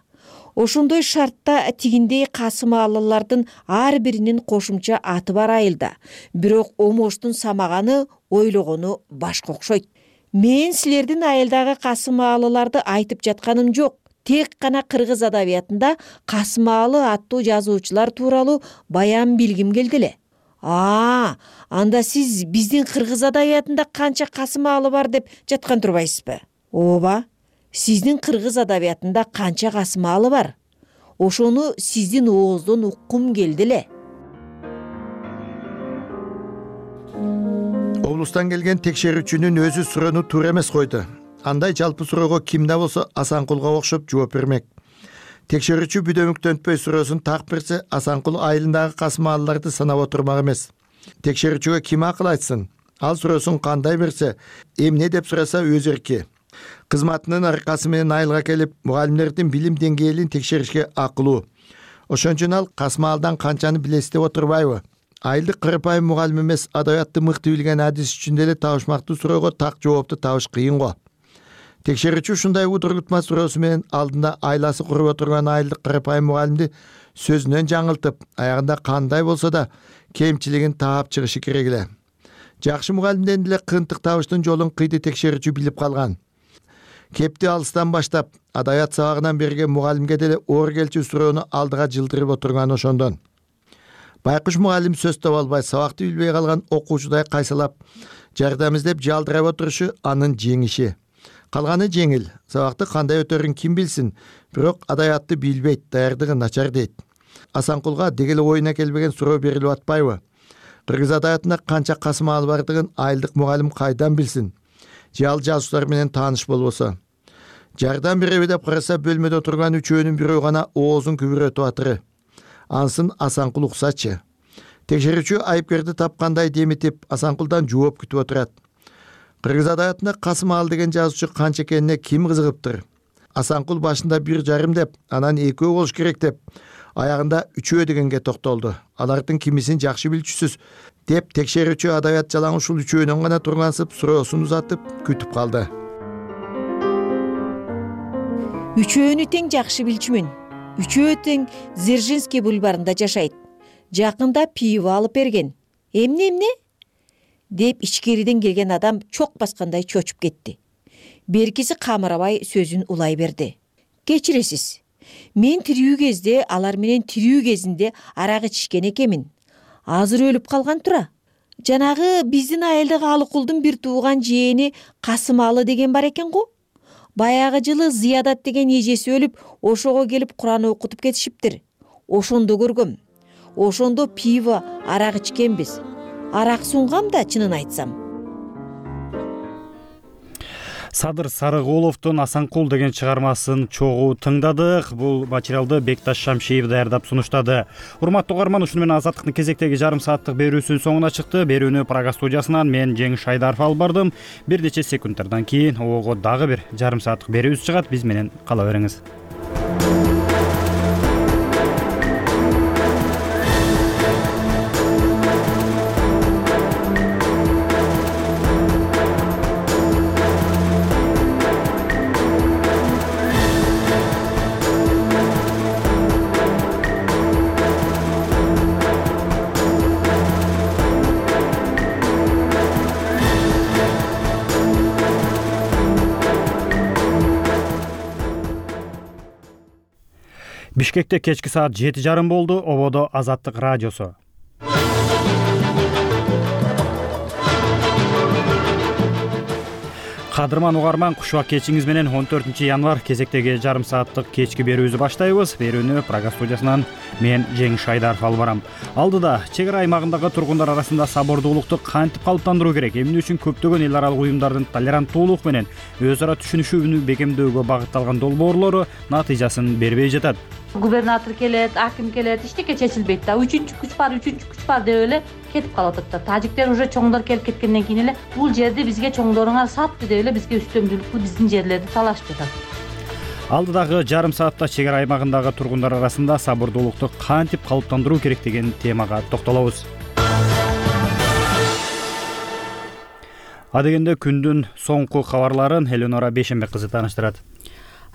Ошондой шартта тигиндей касымалылардын ар биринин кошумча аты бар айылда. Бирок Омоштун самаганы, ойлогону башка окшойт. Мен силердин айылдагы касымалыларды айтып жатканым жок. Тек гана кыргыз адабиятында касымалы аттуу жазуучулар тууралуу баян билгим келди эле. А, анда сиз биздин кыргыз адабиятында канча касымалы бар деп жаткан турбайсызбы? Ооба. Сиздин кыргыз адабиятында канча касымалы бар? Ошону сиздин ооздон уккум келди эле. Облустан келген текшерүүчүнүн өзү суроону туура эмес койду. Андай жалпы суроого кимде болсо Асанкулга окшоп жооп бермек. Текшерүүчү бүдөмүктөнтпөй суроосун так берсе, Асанкул айылындагы касымалыларды санап отурмак эмес. Текшерүүчүгө ким акыл айтсын? Ал суроосун кандай берсе, эмне деп сураса өз эрки. Кызматынын аркасы менен айылга келип, мугалимдердин билим деңгээлин текшеришке акылуу. Ошон үчүн ал касымалдан канчаны билесиз деп отурбайбы? Айылдык кырпайым мугалим эмес, адабиятты мыкты билген адис үчүн деле табышмактуу суроого так жоопту табыш кыйын го. Текшерүүчү ушундай удургутма суроосу менен алдында айласы куруп отурган айылдык кырпайым мугалимди сөзүнөн жаңылтып, аягында кандай болсо да кемчилигин таап чыгышы керек эле. Жакшы мугалимден деле кыйынтык табыштын жолун кыйды текшерүүчү билип калган. Кепти алыстан баштап, адабият сабагынан берген мугалимге деле оор келчү суроону алдыга жылдырып отурган ошондон. Байкуш мугалим сөз таба албай, сабакты билбей калган окуучудай кайсалап, жардам издеп жалдырап отурушу анын жеңиши. Калганы жеңил. Сабакты кандай өтөрүн ким билсин, бирок адабиятты билбейт, даярдыгы начар дейт. Асанкулга дегеле оюна келбеген суроо берилип атпайбы? Кыргыз адабиятында канча касымалы бардыгын айылдык мугалим кайдан билсин? Же ал жазуучулар менен тааныш болбосо. Жардам береби деп караса, бөлмөдө отурган үчөөнүн бирөө гана оозун күбүрөтүп атыры. Ансын Асанкул уксачы. Текшерүүчү айыпкерди тапкандай деметип, Асанкулдан жооп күтүп отурат. Кыргыз адабиятында Касымалы деген жазуучу канча экенине ким кызыгыптыр? Асанкул башында бир жарым деп, анан экөө болуш керек деп, аягында үчөө дегенге токтолду. Алардын кимисин жакшы билчүсүз деп текшерүүчү адабият жалаң ушул үчөөнөн гана тургансып, суроосун узатып күтүп калды. Үчөөнү тең жакшы билчүмүн. Үчөө тең Дзержинский бульварында жашайт. Жакында пиво алып берген. Эмне эмне? Деп ичкериден келген адам чок баскандай чочуп кетти. Беркиси камырабай сөзүн улай берди. Кечиресиз. Мен тирүү кезде, алар менен тирүү кезинде арак ичкен экенмин. Азыр өлүп калган тура. Жанагы биздин айылдагы Алыкулдун бир тууган жээни Касымалы деген бар экен го. Баягы жылы Зиядат деген эжеси өлүп, ошого келип Куран окутуп кетишиптир. Ошондо көргөм. Ошондо пиво, арак ичкенбиз. Арак сунгам да, чынын айтсам. Садыр Сарыгуловдун Асанкул деген чыгармасын чогуу тыңдадык. Бул материалды Бекташ Шамшиев даярдап сунуштады. Урматтуу угарман, ушуну менен Азаттыктын кезектеги жарым сааттык берүүсүнүн соңуна чыкты. Берүүнү Прага студиясынан мен Жеңиш Шайдаров алып бардым. Бир нече секундтардан кийин ого дагы бир жарым сааттык берүүбүз чыгат. Биз менен кала бериңиз. Бишкекте кечки саат жети жарым болду. Ободо Азаттык радиосу. Кадырман угарман, кушуак кечиңиз менен он төртүнчү январь кезектеги жарым сааттык кечки берүүбүздү баштайбыз. Берүүнү Прага студиясынан мен Жеңиш Айдаров алып барам. Алдыда чек ара аймагындагы тургундар арасында сабордуулукту кантип калыптандыруу керек, эмне үчүн көптөгөн эл аралык уюмдардын толеранттуулук менен өз ара түшүнүшүүнү бекемдөөгө багытталган долбоорлору натыйжасын бербей жатат. Губернатор келет, аким келет, эчтеке чечилбейт да. Үчүнчү күч бар, үчүнчү күч бар деп эле кетип калып атат да. Тажиктер уже чоңдор келип кеткенден кийин эле бул жерди бизге чоңдоруңар сатты деп эле бизге үстөмдүүлүктү биздин жерлерди талашып жатат. Алдыдагы жарым саатта чек ара аймагындагы тургундар арасында сабырдуулукту кантип калыптандыруу керек деген темага токтолобуз. Адегенде күндүн соңку кабарларын Эленора Бейшенбек кызы тааныштырат.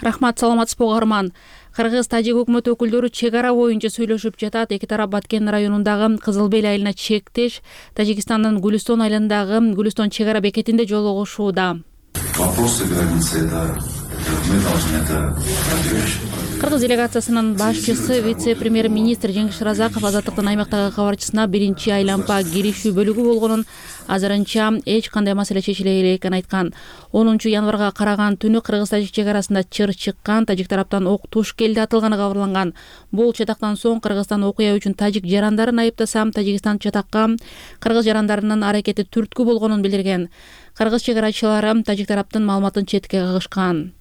Рахмат, саламатсызбы угарман. Кыргыз тажик өкмөт өкүлдөрү чек ара боюнча сүйлөшүп жатат. Эки тарап Баткен районундагы Кызыл Бел айылына чектеш Тажикстандын Гүлүстон айылындагы Гүлүстон чек ара бекетинде жолугушууда. Вопросы границы это мы должны это продвигать. Кыргыз делегациясынын башчысы вице-премьер-министр Жеңиш Разаков Азаттыктын аймактагы кабарчысына биринчи айлампа киришүү бөлүгү болгонун, азырынча эч кандай маселе чечиле элек экенин айткан. онунчу январга караган түнү кыргыз-тажик чек арасында чыр чыккан, тажик тараптан ок туш келди атылганы кабарланган. Бул чатактан соң Кыргызстан окуя үчүн тажик жарандарын айыптаса, Тажикстан чатакка кыргыз жарандарынын аракети түрткү болгонун билдирген. Кыргыз чек арачылары тажик тараптын маалыматын четке кагышкан.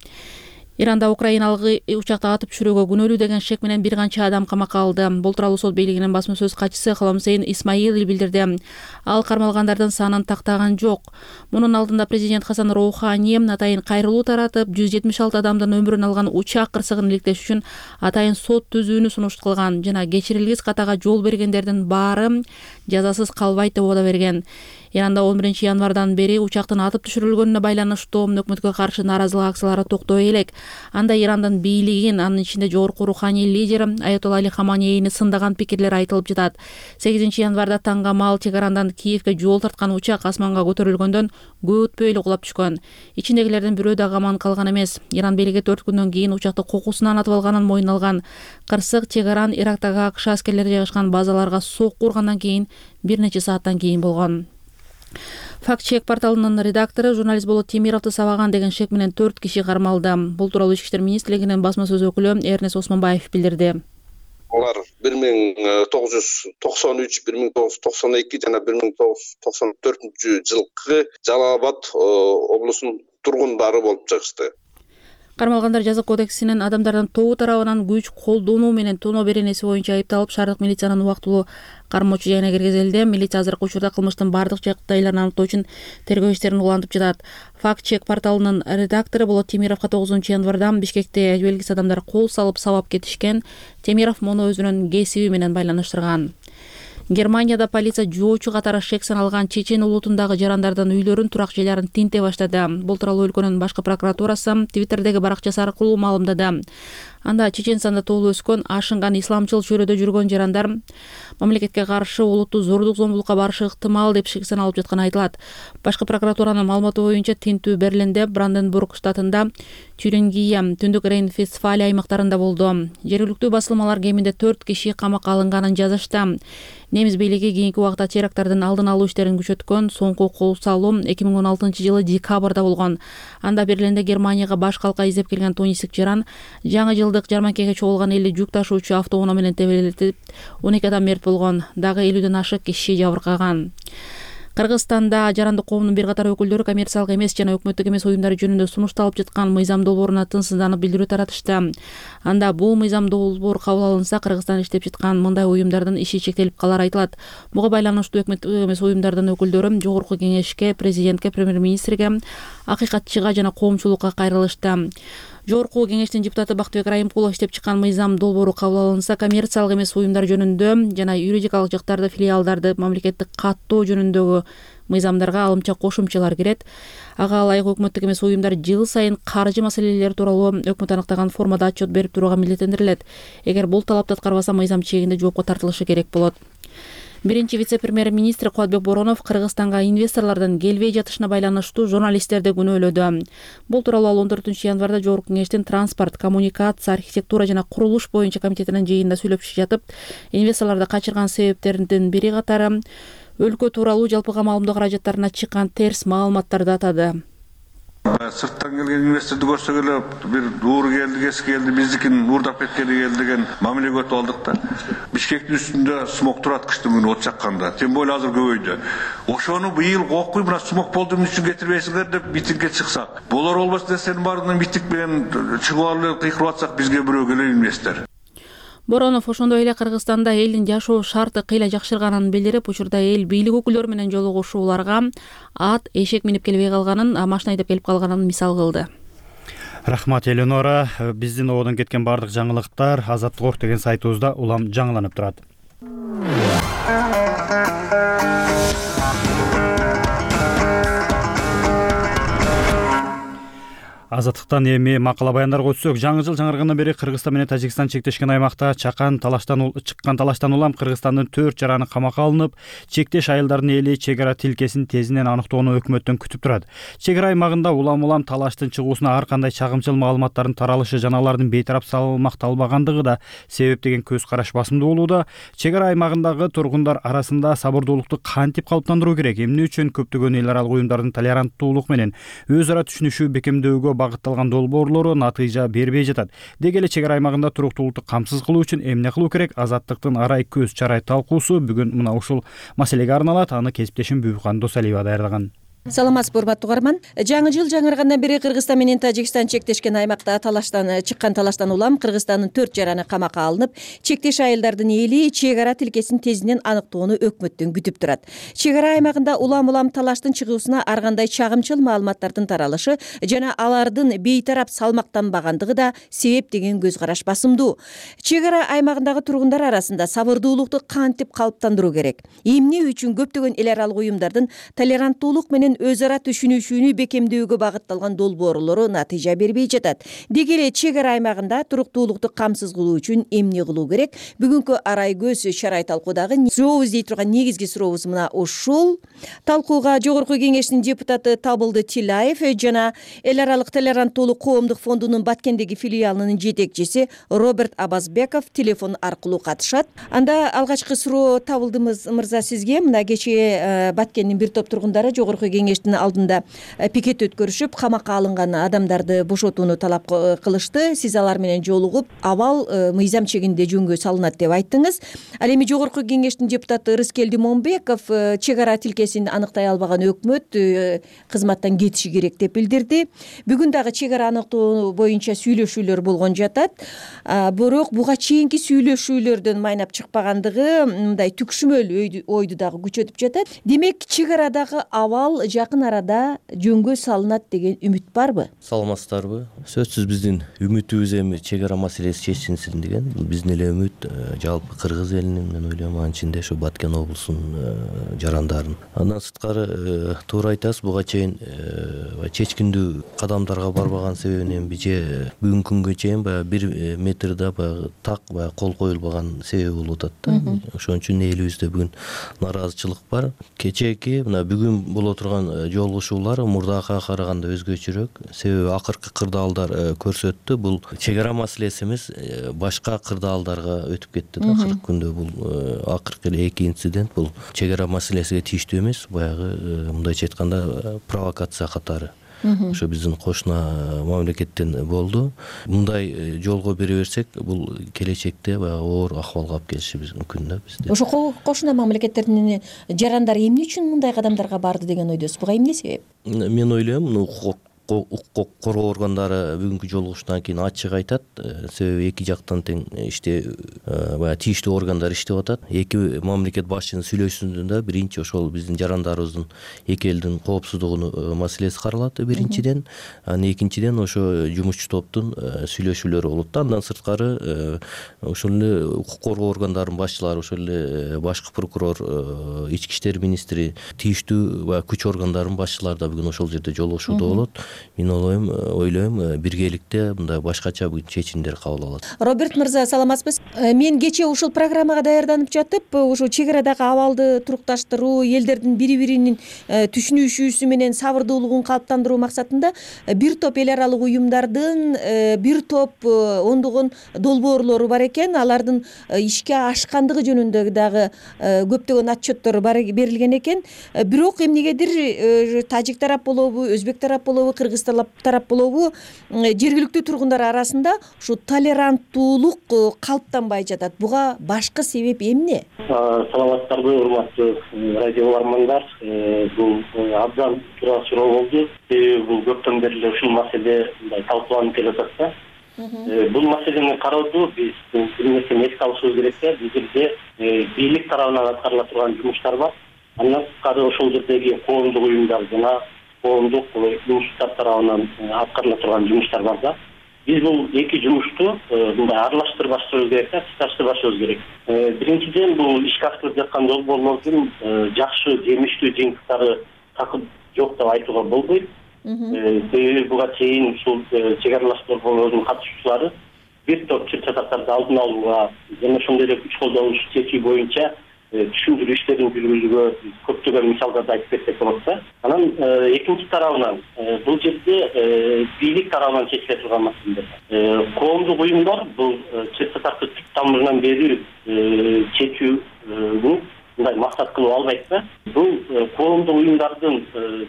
Иранда украиналык учакты атып түшүрүүгө күнөөлүү деген шек менен бир канча адам камакка алды. Бул тууралуу сот бийлигинин басма сөз катчысы Холомсейн Исмаил билдирди. Ал кармалгандардын санын тактаган жок. Мунун алдында президент Хасан Роухани атайын кайрылуу таратып, жүз жетимиш алты адамдын өмүрүн алган учак кырсыгын иликтеш үчүн атайын сот түзүүнү сунуш кылган жана кечирилгис катага жол бергендердин баары жазасыз калбайт деп убада берген. Иранда он биринчи январдан бери учактын атып түшүрүлгөнүнө байланыштуу өкмөткө каршы нааразылык акциялары токтой элек. Анда Ирандын бийлигин, анын ичинде жогорку руханий лидер Аятолла Али Хаманейни сындаган пикирлер айтылып жатат. сегизинчи январда таңгамал чек арандан Киевге жол тарткан учак асманга көтөрүлгөндөн көп өтпөй эле кулап түшкөн. Ичиндегилердин бирөө дагы аман калган эмес. Иран бийлиги төрт күндөн кийин учакты кокусунан атып алганын мойнуна алган. Кырсык чек аран Ирактагы АКШ аскерлери жайгашкан базаларга сокку ургандан кийин бир нече сааттан кийин болгон. Факт-чек порталынын редактору журналист Болот Темировду сабаган деген шек менен төрт киши кармалды. Бул тууралуу Ички иштер министрлигинин басма сөз өкүлү Эрнес Осмонбаев билдирди. Алар бир миң тогуз жүз токсон үч, бир миң тогуз жүз токсон эки жана бир миң тогуз жүз токсон төртүнчү жылкы Жалал Абад облусунун тургундары болуп чыгышты. Кармалгандар жаза кодексинин адамдардын тобу тарабынан күч колдонуу менен тоноо беренеси боюнча айыпталып, шаардык милициянын убактылуу кармоочу жайына киргизилди. Милиция азыркы учурда кылмыштын бардык жагдайларын аныктоо үчүн тергөө иштерин улантып жатат. Факт-чек порталынын редактору Болот Темировго тогузунчу январда Бишкекте белгисиз адамдар кол салып сабап кетишкен. Темиров муну өзүнүн кесиби менен байланыштырган. Германияда полиция жоочу катары шек саналган чечен улутундагы жарандардын үйлөрүн, турак жайларын тинте баштады. Бул тууралуу өлкөнүн башкы прокуратурасы Твиттердеги баракчасы аркылуу маалымдады. Анда Чеченстанда тоолуу өскөн, ашынган исламчыл чөйрөдө жүргөн жарандар мамлекетке каршы улуттуу зордук зомбулукка барышы ыктымал деп шек саналып жатканы айтылат. Башкы прокуратуранын маалыматы боюнча тинтүү Берлинде, Бранденбург штатында, Тюрингия, Түндүк Рейн-Вестфалия аймактарында болду. Жергиликтүү басылмалар кеминде төрт киши камакка алынганын жазышты. Немис бийлиги кийинки убакта теракттардын алдын алуу иштерин күчөткөн. Соңку кол салуу эки миң он алтынчы жылы декабрда болгон. Анда Берлинде Германияга баш калка издеп келген тунисик жаран жаңы жылдык жарманкеге чогулган элүү жүк ташуучу автоунаа менен тебелетип, он эки адам мерт болгон. Дагы элүүдөн ашык киши жабыркаган. Кыргызстанда жарандык коомдун бир катар өкүлдөрү коммерциялык эмес жана өкмөттүк эмес уюмдар жөнүндө сунушталып жаткан мыйзам долбооруна тынчсызданып билдирүү таратышты. Анда бул мыйзам долбоор кабыл алынса, Кыргызстанда иштеп жаткан мындай уюмдардын иши чектелип калары айтылат. Буга байланыштуу өкмөттүк эмес уюмдардын өкүлдөрү жогорку кеңешке, президентке, премьер-министрге, акыйкатчыга жана коомчулукка кайрылышты. Жогорку кеңештин депутаты Бактыбек Райымкулов иштеп чыккан мыйзам долбоору кабыл алынса, коммерциялык эмес уюмдар жөнүндө жана юридикалык жактарды, филиалдарды мамлекеттик каттоо жөнүндөгү мыйзамдарга алымча кошумчалар кирет. Ага ылайык өкмөттүк эмес уюмдар жыл сайын каржы маселелери тууралуу өкмөт аныктаган формада отчет берип турууга милдеттендирилет. Эгер бул талапты аткарбаса, мыйзам чегинде жоопко тартылышы керек болот. Биринчи вице-премьер-министр Кубатбек Боронов Кыргызстанга инвесторлордун келбей жатышына байланыштуу журналисттерди күнөөлөдү. Бул тууралуу ал он төртүнчү январда Жогорку кеңештин транспорт, коммуникация, архитектура жана курулуш боюнча комитетинин жыйынында сүйлөшүп жатып, инвесторлорду качырган себептердин бири катары өлкө тууралуу жалпыга маалымдоо каражаттарына чыккан терс маалыматтарды атады. Сырттан келген инвесторду көрсөк эле бир ууру келди, кески келди, биздикин уурдап кеткени келди деген мамиле өтүп алдык да. Бишкектин үстүндө смог турат кыштын күнү от жакканда. Тем более азыр көбөйдү. Ошону быйыл кокуй мына смог болду эмне үчүн кетирбейсиңер деп митингге чыксак. Болор болбос нерсенин баарынан митинг менен чыгып алып кыйкырып атсак, бизге бирөө келе инвестор. Боронов ошондой эле Кыргызстанда элдин жашоо шарты кыйла жакшырганын билдирип, учурда эл бийлик өкүлдөрү менен жолугушууларга ат, эшек минип келбей калганын, машина айдап келип калганын мисал кылды. Рахмат Эленора. Биздин ободон кеткен бардык жаңылыктар Азаттык Орг деген сайтыбызда улам жаңыланып турат. Азаттыктан эми макала баяндарга өтсөк, жаңы жыл жаңыргандан бери Кыргызстан менен Тажикстан чектешкен аймакта чакан талаштан чыккан талаштан улам Кыргызстандын төрт жараны камакка алынып, чектеш айылдардын эли чек ара тилкесин тезинен аныктоону өкмөттөн күтүп турат. Чек ара аймагында улам-улам талаштын чыгуусуна ар кандай чагымчыл маалыматтардын таралышы жана алардын бейтарап салмакталбагандыгы да себеп деген көз караш басымдуу болууда. Чек ара аймагындагы тургундар арасында сабырдуулукту кантип калыптандыруу керек? Эмне үчүн көптөгөн эл аралык уюмдардын толеранттуулук менен өз ара түшүнүшүү бекемдөөгө багытталган долбоорлору натыйжа бербей жатат? Деги эле чек ара аймагында туруктуулукту камсыз кылуу үчүн эмне кылуу керек? Азаттыктын арай көз чарай талкуусу бүгүн мына ушул маселеге арналат. Аны кесиптешим Бүбүкан Досалиева даярдаган. Саламатсызбы, урматтуу угарман. Жаңы жыл жаңыргандан бери Кыргызстан менен Тажикстан чектешкен аймакта талаштан чыккан талаштан улам Кыргызстандын төрт жараны камакка алынып, чектеш айылдардын эли чек ара тилкесин тезинен аныктоону өкмөттөн күтүп турат. Чек ара аймагында улам-улам талаштын чыгуусуна ар кандай чагымчыл маалыматтардын таралышы жана алардын бейтарап салмактанбагандыгы да себеп деген көз караш басымдуу. Чек ара аймагындагы тургундар арасында сабырдуулукту кантип калыптандыруу керек? Эмне үчүн көптөгөн эл аралык уюмдардын толеранттуулук менен өз ара түшүнүшүүнү бекемдөөгө багытталган долбоорлору натыйжа бербей жатат? Деги эле чек ара аймагында туруктуулукту камсыз кылуу үчүн эмне кылуу керек? Бүгүнкү арай көз чарай талкуудагы сурообуз дей турган негизги сурообуз мына ушул. Талкууга Жогорку кеңештин депутаты Табылды Тилаев жана эл аралык толеранттуулук коомдук фондунун Баткендеги филиалынын жетекчиси Роберт Абазбеков телефон аркылуу катышат. Анда алгачкы суроо Табылды мырза сизге. Мына кечээ Баткендин бир топ тургундары Жогорку кеңештин алдында пикет өткөрүшүп, камакка алынган адамдарды бошотууну талап кылышты. Сиз алар менен жолугуп, абал мыйзам чегинде жөнгө салынат деп айттыңыз. Ал эми Жогорку кеңештин депутаты Рыскелди Момбеков чек ара тилкесин аныктай албаган өкмөт кызматтан кетиши керек деп билдирди. Бүгүн дагы чек ара аныктоо боюнча сүйлөшүүлөр болгон жатат. Бирок буга чейинки сүйлөшүүлөрдөн майнап чыкпагандыгы мындай түкшүмөл ойду дагы күчөтүп жатат. Демек, чек арадагы абал жакын арада жөнгө салынат деген үмүт барбы? Саламатсыздарбы? Сөзсүз биздин үмүтүбүз эми чек ара маселеси чечилсин деген. Бул биздин эле үмүт, жалпы кыргыз элинин, мен ойлойм, анын ичинде ушу Баткен облусунун жарандарын. Андан сырткары туура айтасыз, буга чейин чечкиндүү кадамдарга барбаган себебин эми же бүгүнкү күнгө чейин баягы бир метрде баягы так баягы кол коюлбаган себеби болуп атат да. Ошон үчүн элибизде бүгүн нааразычылык бар. Кечээки мына бүгүн боло турган жолугушуулар мурдакыга караганда өзгөчөрөөк. Себеби акыркы кырдаалдар көрсөттү, бул чек ара маселеси эмес, башка кырдаалдарга өтүп кетти да акыркы күндө. Бул акыркы эки инцидент бул чек ара маселесиге тийиштүү эмес, баягы мындайча айтканда провокация катары. Ошо биздин кошуна мамлекеттен болду. Мындай жолго бере берсек, бул келечекте баягы оор акыбалга алып келиши мүмкүн да бизде. Ошо кошуна мамлекеттердин жарандары эмне үчүн мындай кадамдарга барды деген ойдосуз? Буга эмне себеп? Мен ойлойм, укук укук коргоо органдары бүгүнкү жолугушуудан кийин ачык айтат, себеби эки жактан тең иште баягы тийиштүү органдар иштеп атат. Эки мамлекет башчынын сүйлөшүүсүндө биринчи ошол биздин жарандарыбыздын эки элдин коопсуздугунун маселеси каралат биринчиден, анан экинчиден ошо жумушчу топтун сүйлөшүүлөрү болот да. Андан сырткары ошол эле укук коргоо органдарынын башчылары, ошол эле башкы прокурор, ички иштер министри, тийиштүү баягы күч органдарынын башчылары да бүгүн ошол жерде жолугушууда болот. Мен ойлойм, ойлойм биргеликте мындай башкача бүгүн чечимдер кабыл алат. Роберт мырза, саламатсызбы? Мен кечээ ушул программага даярданып жатып, ушул чек арадагы абалды турукташтыруу, элдердин бири-биринин түшүнүшүүсү менен сабырдуулугун калыптандыруу максатында бир топ эл аралык уюмдардын бир топ ондогон долбоорлору бар экен. Алардын ишке ашкандыгы жөнүндө дагы көптөгөн отчеттор берилген экен. Бирок эмнегедир тажик тарап болобу, өзбек тарап болобу, кыргыз тарап болобу, жергиликтүү тургундар арасында ушу толеранттуулук калыптанбай жатат. Буга башкы себеп эмне? Саламатсыздарбы, урматтуу радио угармандар. Бул абдан туура суроо болду. Бул көптөн бери эле ушул маселе мындай талкууланып келатат да. Бул маселени кароодо биз бир нерсени эске алышыбыз керек да. Бул жерде бийлик тарабынан аткарыла турган жумуштар бар. Андан сырткары ошол жердеги коомдук уюмдар жана коомдук институттар тарабынан аткарыла турган жумуштар бар да. Биз бул эки жумушту мындай аралаштырбашыбыз керек да, туташтырбашыбыз керек. Биринчиден, бул ишке ашырылып жаткан долбоорлордун жакшы, жемиштүү жыйынтыктары такыр жок деп айтууга болбойт. Себеби буга чейин ушул чек аралаштыруу долбоорунун катышуучулары бир топ чыр чатактарды алдын алууга жана ошондой эле күч колдонуш чечүү боюнча түшүндүрүү иштерин жүргүзүүгө көптөгөн мисалдарды айтып берсек болот да. Анан экинчи тарабынан бул жерде бийлик тарабынан чечиле турган маселелер. Коомдук уюмдар бул чыр чатакты түп тамырынан берүү чечүүнү мындай максат кылып албайт да. Бул коомдук уюмдардын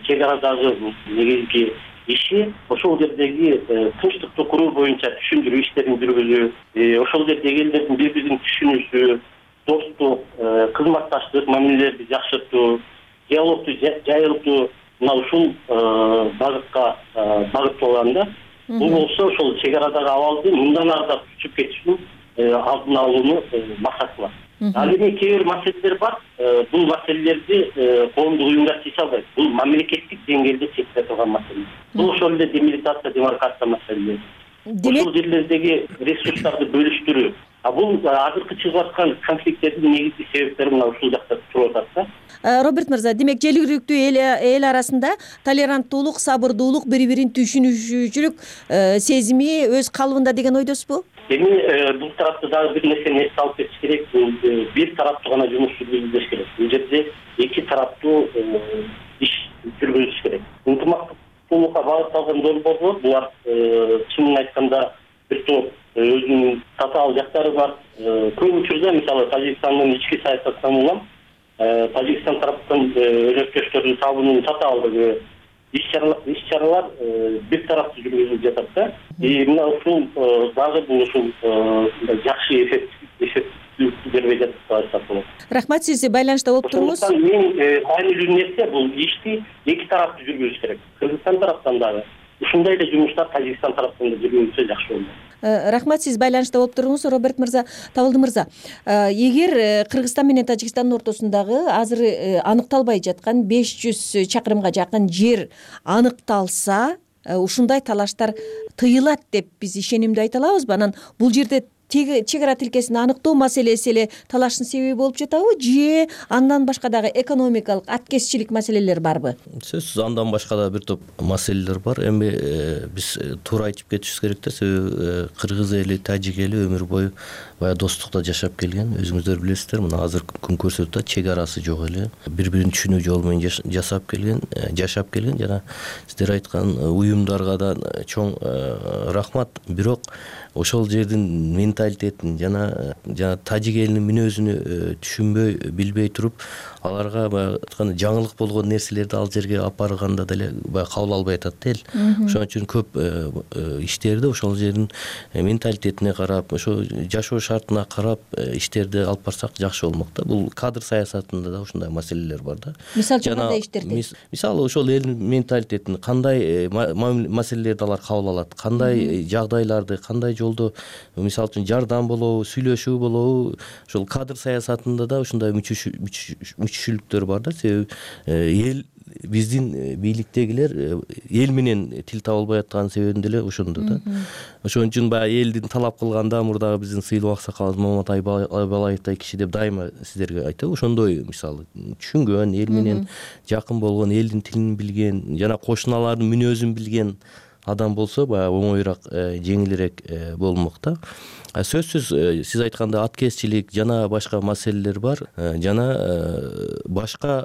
чек арадагы негизги иши ошол жердеги тынчтыкты куруу боюнча түшүндүрүү иштерин жүргүзүү, ошол жердеги элдердин бири бирин түшүнүүсү, достук, кызматташтык мамилелерди жакшыртуу, диалогду жайылтуу, мына ушул багытка багытталган да. Бул болсо ошол чек арадагы абалды мындан ары да күчүп кетишин алдын алууну максат кылат. Ал эми кээ бир маселелер бар. Бул маселелерди коомдук уюмдар чече албайт. Бул мамлекеттик деңгээлде чечиле турган маселе. Бул ошол эле демилитация, демаркация маселелери. Ошол жерлердеги ресурстарды бөлүштүрүү. А бул азыркы чыгып аткан конфликттердин негизги себептери мына ушул жакта туруп атат да. Роберт мырза, демек жергиликтүү эл арасында толеранттуулук, сабырдуулук, бири-бирин түшүнүүчүлүк сезими өз калыбында деген ойдосузбу? Эми бул тарапта дагы бир нерсени эске алып кетиш керек. Бул бир тараптуу гана жумуш жүргүзүлүш керек. Бул жерде эки тараптуу иш жүргүзүлүш керек. Ынтымактуулукка багытталган долбоорлор булар чынын айтканда бир топ өзүнүн татаал жактары бар. Көп учурда мисалы Тажикстандын ички саясатынан улам Тажикстан тараптан өнөктөштөрдүн табуунун татаалдыгы, иш-чаралар бир тараптуу жүргүзүлүп жатат да. Мына ушул дагы бул ушул жакшы эффективдүүлүктү бербей жатат деп айтсак болот. Рахмат, сиз байланышта болуп туруңуз. Эң маанилүү нерсе бул ишти эки тараптуу жүргүзүш керек. Кыргызстан тараптан дагы ушундай эле жумуштар Тажикстан тараптан да жүргүзүлсө жакшы болот. Рахмат, сиз байланышта болуп туруңуз, Роберт мырза. Табылды мырза, эгер Кыргызстан менен Тажикстандын ортосундагы азыр аныкталбай жаткан беш жүз чакырымга жакын жер аныкталса, ушундай талаштар тыйылат деп биз ишенимдүү айта алабызбы? Анан бул жерде чек ара тилкесин аныктоо маселеси эле талаштын себеби болуп жатабы, же андан башка дагы экономикалык, аткезчилик маселелер барбы? Сөзсүз андан башка да бир топ маселелер бар. Эми биз туура айтып кетишибиз керек да, себеби кыргыз эли, тажик эли өмүр бою баягы достукта жашап келген. Өзүңүздөр билесиздер, мына азыр күн көрсөтүп атат, чек арасы жок эле. Бири-бирин түшүнүү жолу менен жасап келген, жашап келген. Жана сиздер айткан уюмдарга да чоң рахмат. Бирок ошол жердин менталитетин жана жана тажик элинин мүнөзүнө түшүнбөй, билбей туруп, аларга баягы айтканда жаңылык болгон нерселерди ал жерге алып барганда деле баягы кабыл албай атат да эл. Ошон үчүн көп иштерди ошол жердин менталитетине карап, ошо жашоо шартына карап иштерди алып барсак жакшы болмок да. Бул кадр саясатында да ушундай маселелер бар да. Мисалы үчүн кандай иштерди? Мисалы ошол элдин менталитетин кандай маселелерди алар кабыл алат, кандай жагдайларды, кандай жолдо мисалы үчүн жардам болобу, сүйлөшүү болобу, ошол кадр саясатында да ушундай мүчүшүлүктөр бар да. Себеби эл биздин бийликтегилер эл менен тил таба албай аткан себебин деле ошондо да. Ошон үчүн баягы элдин талап кылганда мурдагы биздин сыйлуу аксакалыбыз Маматай Балаевтай киши деп дайыма сиздерге айтабы. Ошондой мисалы түшүнгөн, эл менен жакын болгон, элдин тилин билген, жана кошуналардын мүнөзүн билген адам болсо баягы оңоюраак, жеңилирээк болмок да. Сөзсүз сиз айткандай аткезчилик жана башка маселелер бар. Жана башка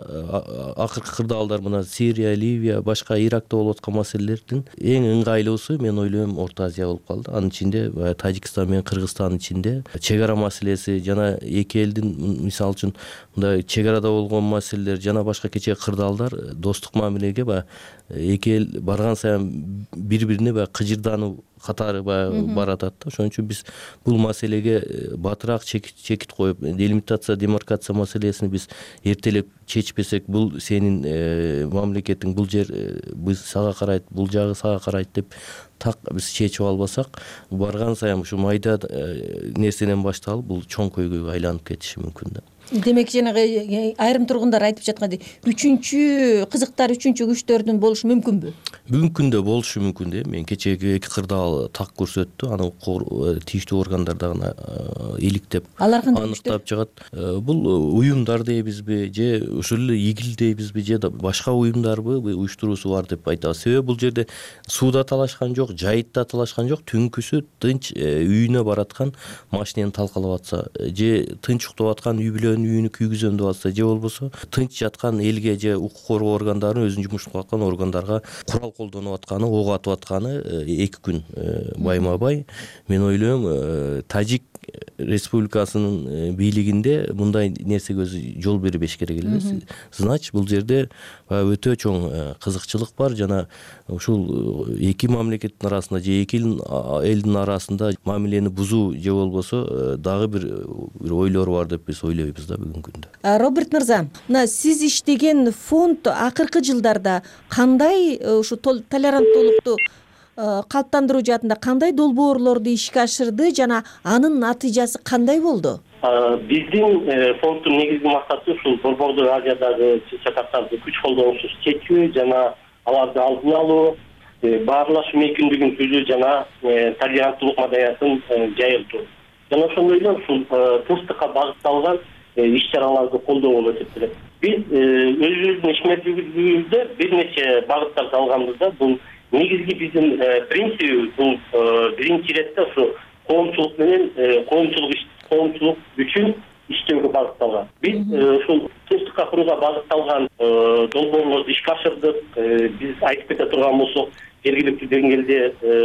акыркы кырдаалдар мына Сирия, Ливия, башка Иракта болуп аткан маселелердин эң ыңгайлуусу мен ойлойм Орто Азия болуп калды. Анын ичинде Тажикстан менен Кыргызстандын ичинде чек ара маселеси жана эки элдин мисалы үчүн мындай чек арада болгон маселелер жана башка кечээ кырдаалдар достук мамилеге баягы эки эл барган сайын бири-бирине баягы кыжырдануу катары баягы баратат да. Ошон үчүн биз бул маселеге батыраак чекит коюп, делимитация, демаркация маселесин биз эртелеп чечпесек, бул сенин мамлекетиң, бул жер биз сага карайт, бул жагы сага карайт деп так биз чечип албасак, барган сайын ушу майда нерседен башталып, бул чоң көйгөйгө айланып кетиши мүмкүн да. Демек жанагы айрым тургундар айтып жаткандай үчүнчү кызыктар, үчүнчү күчтөрдүн болушу мүмкүнбү? Мүмкүн да болушу мүмкүн да. Мен кечеги эки кырдаал так көрсөттү. Аны тийиштүү органдар дагы иликтеп аныктап чыгат. Бул уюмдар дейбизби же ушул эле игил дейбизби же башка уюмдарбы уюштуруусу бар деп айтабыз. Себеби бул жерде сууда талашкан жок, жайытта талашкан жок, түнкүсү тынч үйүнө бараткан машинени талкалап атса, же тынч уктап аткан үй бүлөнүн үйүнү күйгүзөм деп атса, же болбосо тынч жаткан элге же укук коргоо органдарын өзүнүн жумушун кылып аткан органдарга курал колдонуп атканы, ок атып атканы эки күн байма бай. Мен ойлойм, Тажик Республикасынын бийлигинде мындай нерсеге өзү жол бербеш керек эле. Значит, бул жерде өтө чоң кызыкчылык бар жана ушул эки мамлекеттин арасында же эки элдин арасында мамилени бузуу же болбосо дагы бир ойлор бар деп биз ойлойбуз да бүгүнкү күндө. Роберт мырза, мына сиз иштеген фонд акыркы жылдарда кандай ушу толеранттуулукту калыптандыруу жаатында кандай долбоорлорду ишке ашырды жана анын натыйжасы кандай болду? Биздин фонддун негизги максаты ушул Борбордуу Азиядагы чатактарды күч колдонуусуз чечүү жана аларды алдын алуу, баарлашуу мүмкүндүгүн түзүү жана толеранттуулук маданиятын жайылтуу. Жана ошондой эле ушул тынчтыкка багытталган иш-чараларды колдоо болуп эсептелет. Биз өзүбүздүн ишмердүүлүгүбүздө бир нече багыттарды алганбыз да. Бул негизги биздин принципибиз бул биринчи иретте ушу коомчулук менен коомчулук коомчулук үчүн иштөөгө багытталган. Биз ушул тынчтыкка курууга багытталган долбоорлорду ишке ашырдык. Биз айтып кете турган болсок, жергиликтүү деңгээлде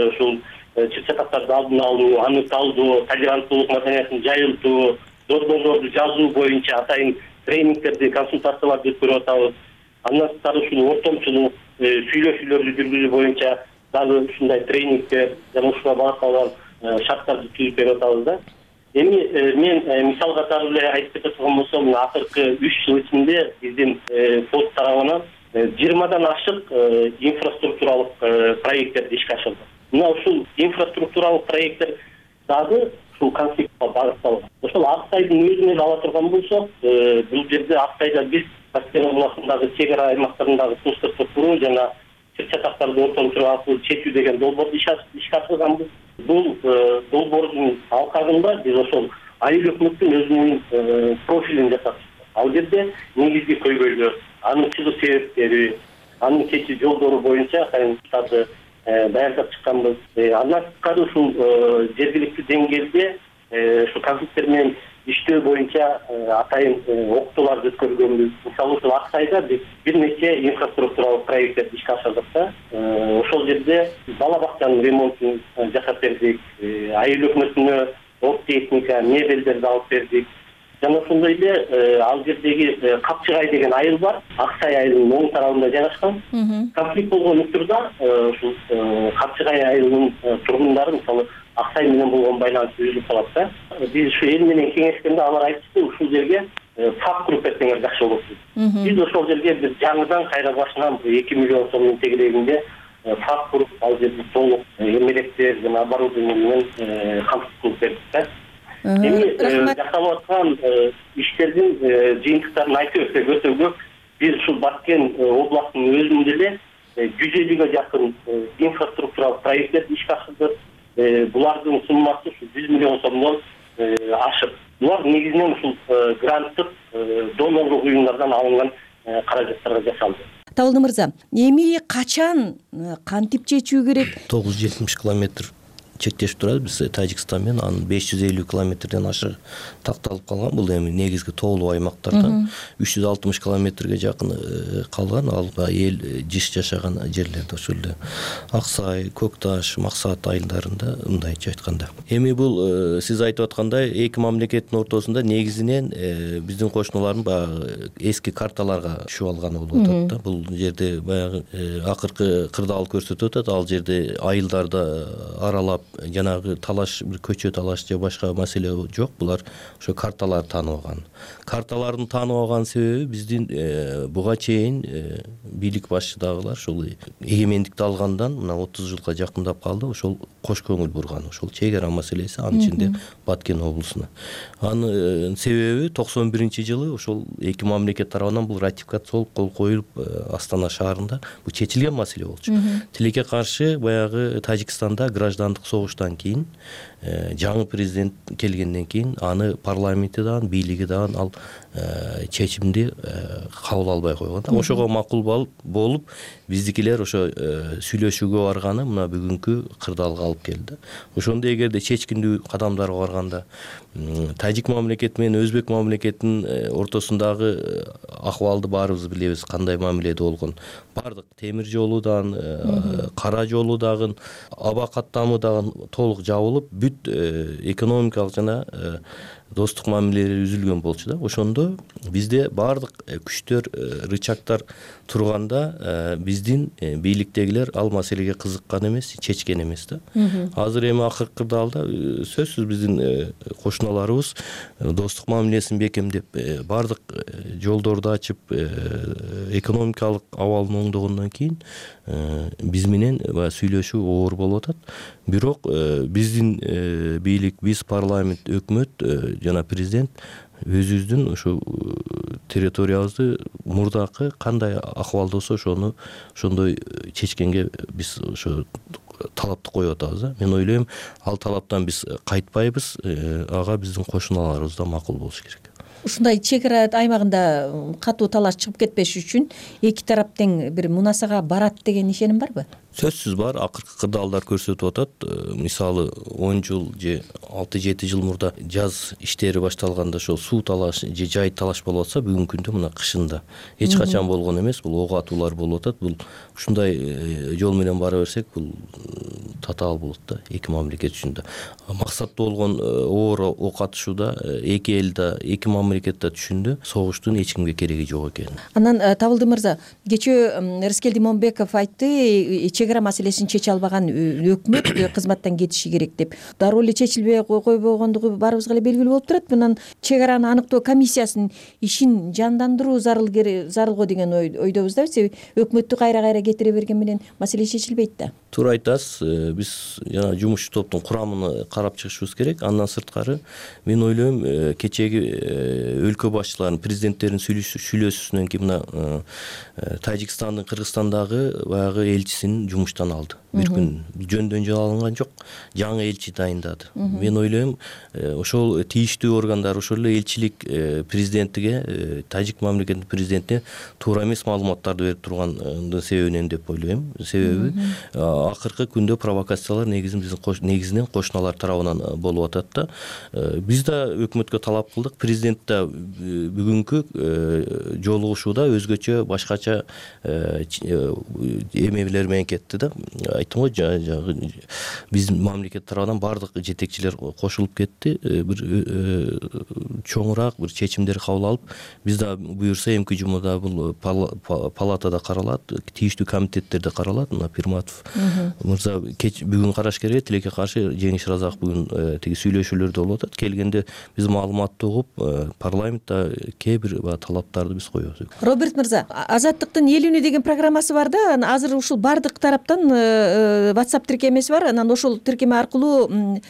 ушул чыр-чатактарды алдын алуу, аныкталуу, толеранттуулук маданиятын жайылтуу, долбоорлорду жазуу боюнча атайын тренингтерди, консультацияларды өткөрүп атабыз. Андан сырткары ушул ортомчулук, сүйлөшүүлөрдү жүргүзүү боюнча дагы ушундай тренингтер жана ушуга багытталган шарттарды түзүп берип атабыз да. Эми мен мисал катары эле айтып кете турган болсом, акыркы үч жыл ичинде биздин фонд тарабынан жыйырмадан ашык инфраструктуралык проекттерди ишке ашырдык. Мына ушул инфраструктуралык проекттер дагы ушул конфликтке багытталган. Ошол Аксайдын өзүнө эле ала турган болсок, бул жерде Аксайда биз Каспий областындагы чек ара аймактарындагы тынчтыкты куруу жана чыр-чатактарды ортомчулук аркылуу чечүү деген долбоорду ишке ашырганбыз. Бул долбоордун алкагында биз ошол айыл өкмөттүн өзүнүн профилин жасап чыктык. Ал жерде негизги көйгөйлөр, анын чыгуу себептери, анын чечүү жолдору боюнча кайрымдарды даярдап чыкканбыз. Андан сырткары ушул жергиликтүү деңгээлде ушу конфликттер менен иштөө боюнча атайын окутууларды өткөргөнбүз. Мисалы ушул Аксайда биз бир нече инфраструктуралык проекттерди ишке ашырдык да. Ошол жерде бала бакчанын ремонтун жасап бердик, айыл өкмөтүнө ок техника, мебелдерди алып бердик. Жана ошондой эле ал жердеги Капчыгай деген айыл бар, Аксай айылынын оң тарабында жайгашкан. Конфликт болгон учурда ушул Капчыгай айылынын тургундары мисалы Аксай менен болгон байланыш үзүлүп калат да. Биз ушу эл менен кеңешкенде алар айтышты, ушул жерге фак куруп берсеңер жакшы болот дейт. Биз ошол жерге биз жаңыдан кайра башынан эки миллион сомдун тегерегинде фак куруп, ал жерде толук эмелектер жана оборудование менен камсыз кылып бердик да. Эми жасалып аткан иштердин жыйынтыктарын айтып өтсөк өтө көп. Биз ушул Баткен областынын өзүндө эле жүз элүүгө жакын инфраструктуралык проекттер ишке ашырдык. Булардын суммасы жүз миллион сомдон ашык. Булар негизинен ушул гранттык донорлук уюмдардан алынган каражаттарга жасалды. Табылды мырза, эми качан кантип чечүү керек? тогуз жүз жетимиш километр чектешип турат. Биз Тажикстан менен анын беш жүз элүү километрден ашык такталып калган. Бул эми негизги тоолуу аймактардан үч жүз алтымыш километрге жакын калган. Ал эл жиш жашаган жерлерде ошол эле Аксай, Көк Таш, Максат айылдарында, мындайча айтканда. Эми бул сиз айтып аткандай эки мамлекеттин ортосунда негизинен биздин кошуналардын баягы эски карталарга түшүп алганы болуп атат да. Бул жерде баягы акыркы кырдаал көрсөтүп атат. Ал жерде айылдарда аралап жанагы талаш, бир көчө талаш же башка маселе жок. Булар ошо карталарды таанып алган. Карталардын таанып алган себеби биздин буга чейин бийлик башчыдагылар ошол эгемендикти алгандан мына отуз жылга жакындап калды. Ошол кош көңүл бурган. Ошол чек ара маселеси, анын ичинде Баткен облусуна. Анын себеби токсон биринчи жылы ошол эки мамлекет тарабынан бул ратификациялык кол коюлуп Астана шаарында бул чечилген маселе болчу. Тилекке каршы баягы Тажикстанда граждандык согуштан кийин жаңы президент келгенден кийин аны парламенти дагы, бийлиги дагы ал чечимди кабыл албай койгон. Ошого макул болуп биздикилер ошо сүйлөшүүгө барганы мына бүгүнкү кырдаалга алып келди. Ошондо эгерде чечкиндүү кадамдарга барганда Тажик мамлекети менен Өзбек мамлекетинин ортосундагы акыбалды баарыбыз билебиз, кандай мамиледе болгон. Бардык темир жолу дагы, кара жолу дагы, аба каттамы дагы толук жабылып, бүт экономикалык жана достук мамилелер үзүлгөн болчу да. Ошондо бизде бардык күчтөр, рычагтар турганда биздин бийликтегилер ал маселеге кызыккан эмес, чечкен эмес да. Азыр эми акыркы кырдаалда сөзсүз биздин кошуналарыбыз достук мамилесин бекемдеп, бардык жолдорду ачып, экономикалык абалын оңдогондон кийин биз менен сүйлөшүү оор болуп атат. Бирок биздин бийлик, биз парламент, өкмөт жана президент өзүбүздүн ошо территориябызды мурдакы кандай акыбалда болсо ошону ошондой чечкенге биз ошо талапты коюп атабыз да. Мен ойлойм, ал талаптан биз кайтпайбыз, ага биздин кошуналарыбыз да макул болуш керек. Ушундай чек ара аймагында катуу талаш чыгып кетпеш үчүн эки тарап тең бир мунасага барат деген ишеним барбы? Сөзсүз бар. Акыркы кырдаалдар көрсөтүп атат. Мисалы он жыл же алты жети жыл мурда жаз иштери башталганда ошол суу талаш же жай талаш болуп атса, бүгүнкү күндө мына кышында эч качан болгон эмес. Бул ок атуулар болуп атат. Бул ушундай жол менен бара берсек, бул татаал болот да эки мамлекет үчүн да. Максаттуу болгон оор ок атышууда эки эл да, эки мамлекет да түшүндү, согуштун эч кимге кереги жок экенин. Анан Табылды мырза, кечээ Рыскел Димонбеков айтты, чек ара маселесин чече албаган өкмөт кызматтан кетиши керек деп. Дароо эле чечилбей койбогондугу баарыбызга эле белгилүү болуп турат. Мындан чек араны аныктоо комиссиясынын ишин жандандыруу зарыл зарылго деген ойдобуз да. Себеби өкмөттү кайра-кайра кетире берген менен маселе чечилбейт да. Туура айтасыз. Биз жана жумушчу топтун курамын карап чыгышыбыз керек. Андан сырткары мен ойлойм, кечеги өлкө башчыларынын, президенттердин сүйлөшүүсүнөн кийин мына Тажикстандын Кыргызстандагы баягы элчисин жумуштан алды. Бир күн жөндөн жөн алынган жок, жаңы элчи дайындады. Мен ойлойм, ошол тийиштүү органдар, ошол эле элчилик президентиге, Тажик мамлекетинин президентине туура эмес маалыматтарды берип тургандын себебинен деп ойлойм. Себеби акыркы күндө провокациялар негизин биздин негизинен кошуналар тарабынан болуп атат да. Биз да өкмөткө талап кылдык. Президент да бүгүнкү жолугушууда өзгөчө башкача эмелер менен кетти да. Айттым го, биздин мамлекет тарабынан бардык жетекчилер кошулуп кетти. Бир чоңураак бир чечимдер кабыл алып, биз да буюрса эмки жумада бул палатада каралат, тийиштүү комитеттерде каралат. Мына Пирматов мырза бүгүн караш керек. Тилекке каршы Жеңиш Разаков бүгүн тиги сүйлөшүүлөрдө болуп атат. Келгенде биз маалыматты угуп, парламентте кээ бир талаптарды биз коебуз. Роберт мырза, Азаттыктын эл үнү деген программасы бар да, азыр ушул бардык тараптан WhatsApp тиркемеси бар. Анан ошол тиркеме аркылуу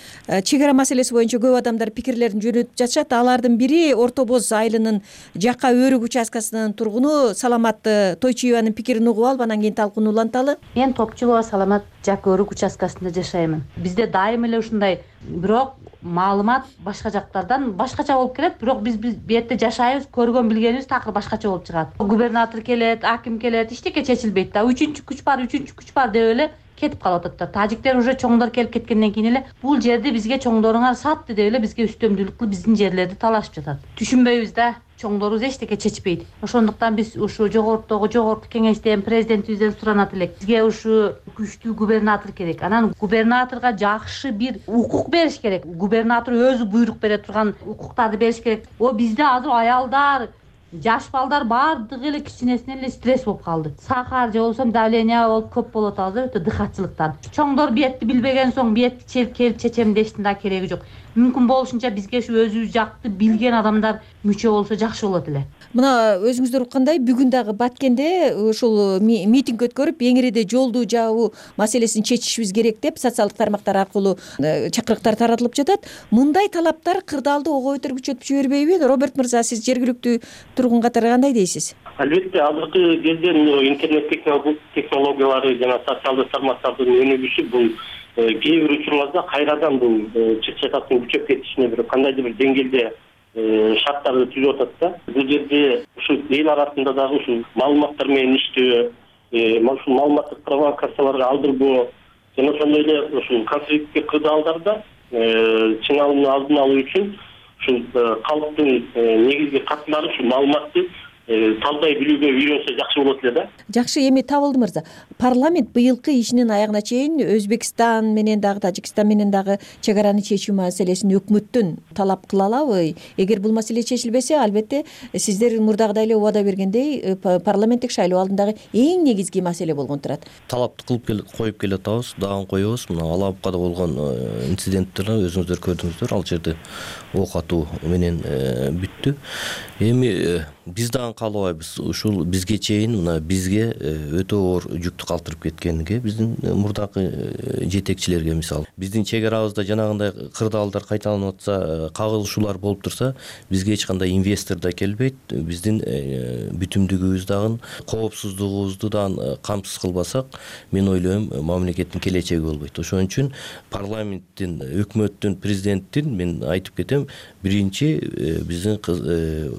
чек ара маселеси боюнча көп адамдар пикирлерин жөнөтүп жатышат. Алардын бири Орто Боз айылынын Жака Өрүк участкасынын тургуну Саламат Тойчуеванын пикирин угуп алып, анан кийин талкууну уланталы. Мен Топчулова Саламат Жака Өрүк участкасында жашаймын. Бизде дайым эле ушундай, бирок маалымат башка жактардан башкача болуп келет, бирок биз бу жерде жашайбыз, көргөн билгенибиз такыр башкача болуп чыгат. Губернатор келет, аким келет, эчтеке чечилбейт да. Үчүнчү күч бар, үчүнчү күч бар деп эле кетип калып атат да. Тажиктер уже чоңдор келип кеткенден кийин эле бул жерди бизге чоңдоруңар сатты деп эле бизге үстөмдүүлүк кылып биздин жерлерди талашып жатат. Түшүнбөйбүз да. Чоңдорубуз эчтеке чечпейт. Ошондуктан биз ушу жогорудагы жогорку кеңештен, президентибизден суранат элек. Бизге ушу күчтүү губернатор керек. Анан губернаторго жакшы бир укук бериш керек. Губернатор өзү буйрук бере турган укуктарды бериш керек. О бизде азыр аялдар, жаш балдар баардыгы эле кичинесинен эле стресс болуп калды. Сахар же болбосо давление болуп көп болуп атабыз, өтө дыхатчылыктан. Чоңдор биетти билбеген соң биетти келип чечем дештин да кереги жок. Мүмкүн болушунча бизге ушу өзүбүз жакты билген адамдар мүчө болсо жакшы болот эле. Мына өзүңүздөр уккандай бүгүн дагы Баткенде ушул митинг өткөрүп, эңириде жолду жабуу маселесин чечишибиз керек деп социалдык тармактар аркылуу чакырыктар таратылып жатат. Мындай талаптар кырдаалды ого бетер күчөтүп жибербейби? Роберт мырза, сиз жергиликтүү тургун катары кандай дейсиз? Албетте, азыркы кезде интернет технологиялары жана социалдык тармактардын өнүгүшү бул кээ бир учурларда кайрадан бул чыр чатактын күчөп кетишине бир кандайдыр бир деңгээлде шарттарды түзүп атат да. Бул жерде ушу эл арасында дагы ушул маалыматтар менен иштөө, ушул маалыматтык провокацияларга алдырбоо жана ошондой эле ушул конфликтке кырдаалдарда чыңалууну алдын алуу үчүн ушул калктын негизги катмары ушул маалыматты талдай билүүгө үйрөнсө жакшы болот эле да. Жакшы, эми Табылды мырза, парламент быйылкы ишинин аягына чейин Өзбекстан менен дагы Тажикстан менен дагы чек араны чечүү маселесин өкмөттөн талап кыла алабы? Эгер бул маселе чечилбесе, албетте сиздер мурдагыдай эле убада бергендей парламенттик шайлоо алдындагы эң негизги маселе болгон турат. Талапты кылып коюп келе атабыз, дагы коебуз. Мына Алапкада болгон инциденттерди өзүңүздөр көрдүңүздөр. Ал жерде ок атуу менен бүттү. Эми биз дагы каалабайбыз. Ушул бизге чейин мына бизге өтө оор жүктү калтырып кеткениге биздин мурдакы жетекчилерге, мисалы биздин чек арабызда жанагындай кырдаалдар кайталанып атса, кагылышуулар болуп турса, бизге эч кандай инвестор да келбейт. Биздин бүтүмдүгүбүз дагы, коопсуздугубузду дагы камсыз кылбасак, мен ойлойм мамлекеттин келечеги болбойт. Ошон үчүн парламенттин, өкмөттүн, президенттин мен айтып кетем, биринчи биздин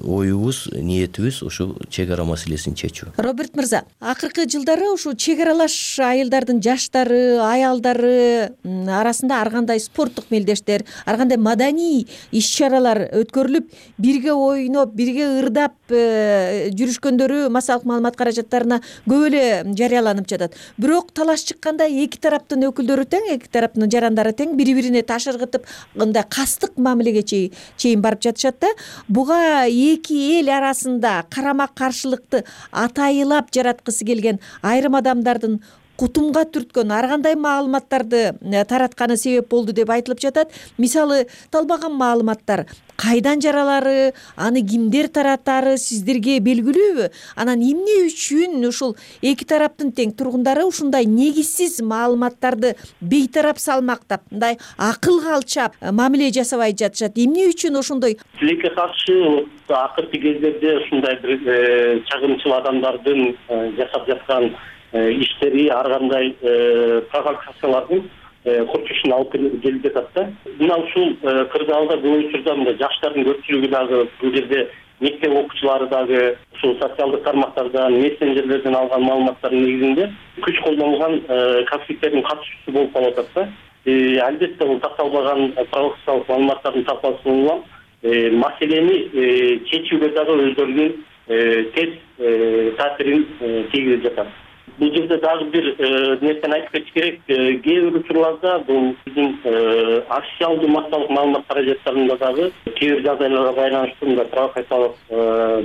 оюбуз, ниетибиз ушу чек ара маселесин чечүү. Роберт мырза, акыркы жылдары ушу чек аралаш айылдардын жаштары, аялдары арасында ар кандай спорттук мелдештер, ар кандай маданий иш-чаралар өткөрүлүп, бирге ойноп, бирге ырдап жүрүшкөндөрү массалык маалымат каражаттарына көп эле жарыяланып жатат. Бирок талаш чыкканда эки тараптын өкүлдөрү тең, эки тараптын жарандары тең, бири-бирине таш ыргытып, мындай кастык мамилеге чейин барып жатышат да. Буга эки эл арасында карама-каршылыкты атайылап жараткысы келген айрым адамдардын кутумга түрткөн ар кандай маалыматтарды таратканы себеп болду деп айтылып жатат. Мисалы, талбаган маалыматтар кайдан жаралары, аны кимдер таратары сиздерге белгилүүбү? Анан эмне үчүн ушул эки тараптын тең тургундары ушундай негизсиз маалыматтарды бейтарап салмактап, мындай акылга алчап мамиле жасабай жатышат? Эмне үчүн ошондой? Тилекке каршы акыркы кездерде ушундай бир чагымчыл адамдардын жасап жаткан иштери ар кандай провокациялардын курчушуна алып келип жатат да. Мына ушул кырдаалда бул учурда мындай жаштардын көпчүлүгү дагы бул жерде мектеп окуучулары дагы ушул социалдык тармактардан, мессенджерлерден алган маалыматтардын негизинде күч колдонулган конфликттердин катышуучусу болуп калып атат да. Албетте бул такталбаган провокациялык маалыматтардын сапасын улам маселени чечүүгө дагы өздөрүнүн тез таасирин тийгизип жатат. Бул жерде дагы бир нерсени айтып кетиш керек. Кээ бир учурларда бул биздин официалдуу массалык маалымат каражаттарында дагы кээ бир жагдайларга байланыштуу мындай провокациялык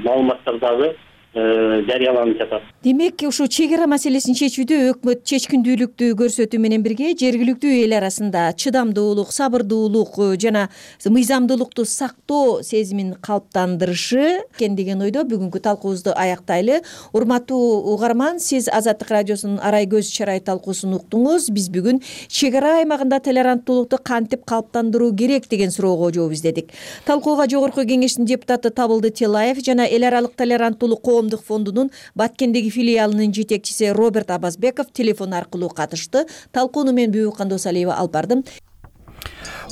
маалыматтар дагы жарыяланып жатат. Демек, ушул чек ара маселесин чечүүдө өкмөт чечкиндүүлүктү көрсөтүү менен бирге жергиликтүү эл арасында чыдамдуулук, сабырдуулук жана мыйзамдуулукту сактоо сезимин калыптандырышы экен деген ойдо бүгүнкү талкуубузду аяктайлы. Урматтуу угарман, сиз Азаттык радиосунун Арай көз чарай талкуусун уктуңуз. Биз бүгүн чек ара аймагында толеранттуулукту кантип калыптандыруу керек деген суроого жооп издедик. Талкууга Жогорку Кеңештин депутаты Табылды Телаев жана эл аралык толеранттуулук коомдук фондунун Баткендеги филиалынын жетекчиси Роберт Абазбеков телефон аркылуу катышты. Талкууну мен Бүбүк Кандосалиева алып бардым.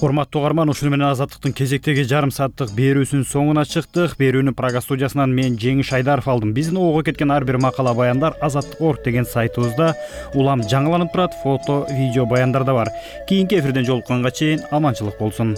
Урматтуу угарман, ушуну менен Азаттыктын кезектеги жарым сааттык берүүсүнүн соңуна чыктык. Берүүнү Прага студиясынан мен Жеңиш Айдаров алдым. Биздин ого кеткен ар бир макала баяндар азаттык точка орг деген сайтыбызда улам жаңыланып турат, фото, видео баяндар да бар. Кийинки эфирден жолукканга чейин аманчылык болсун.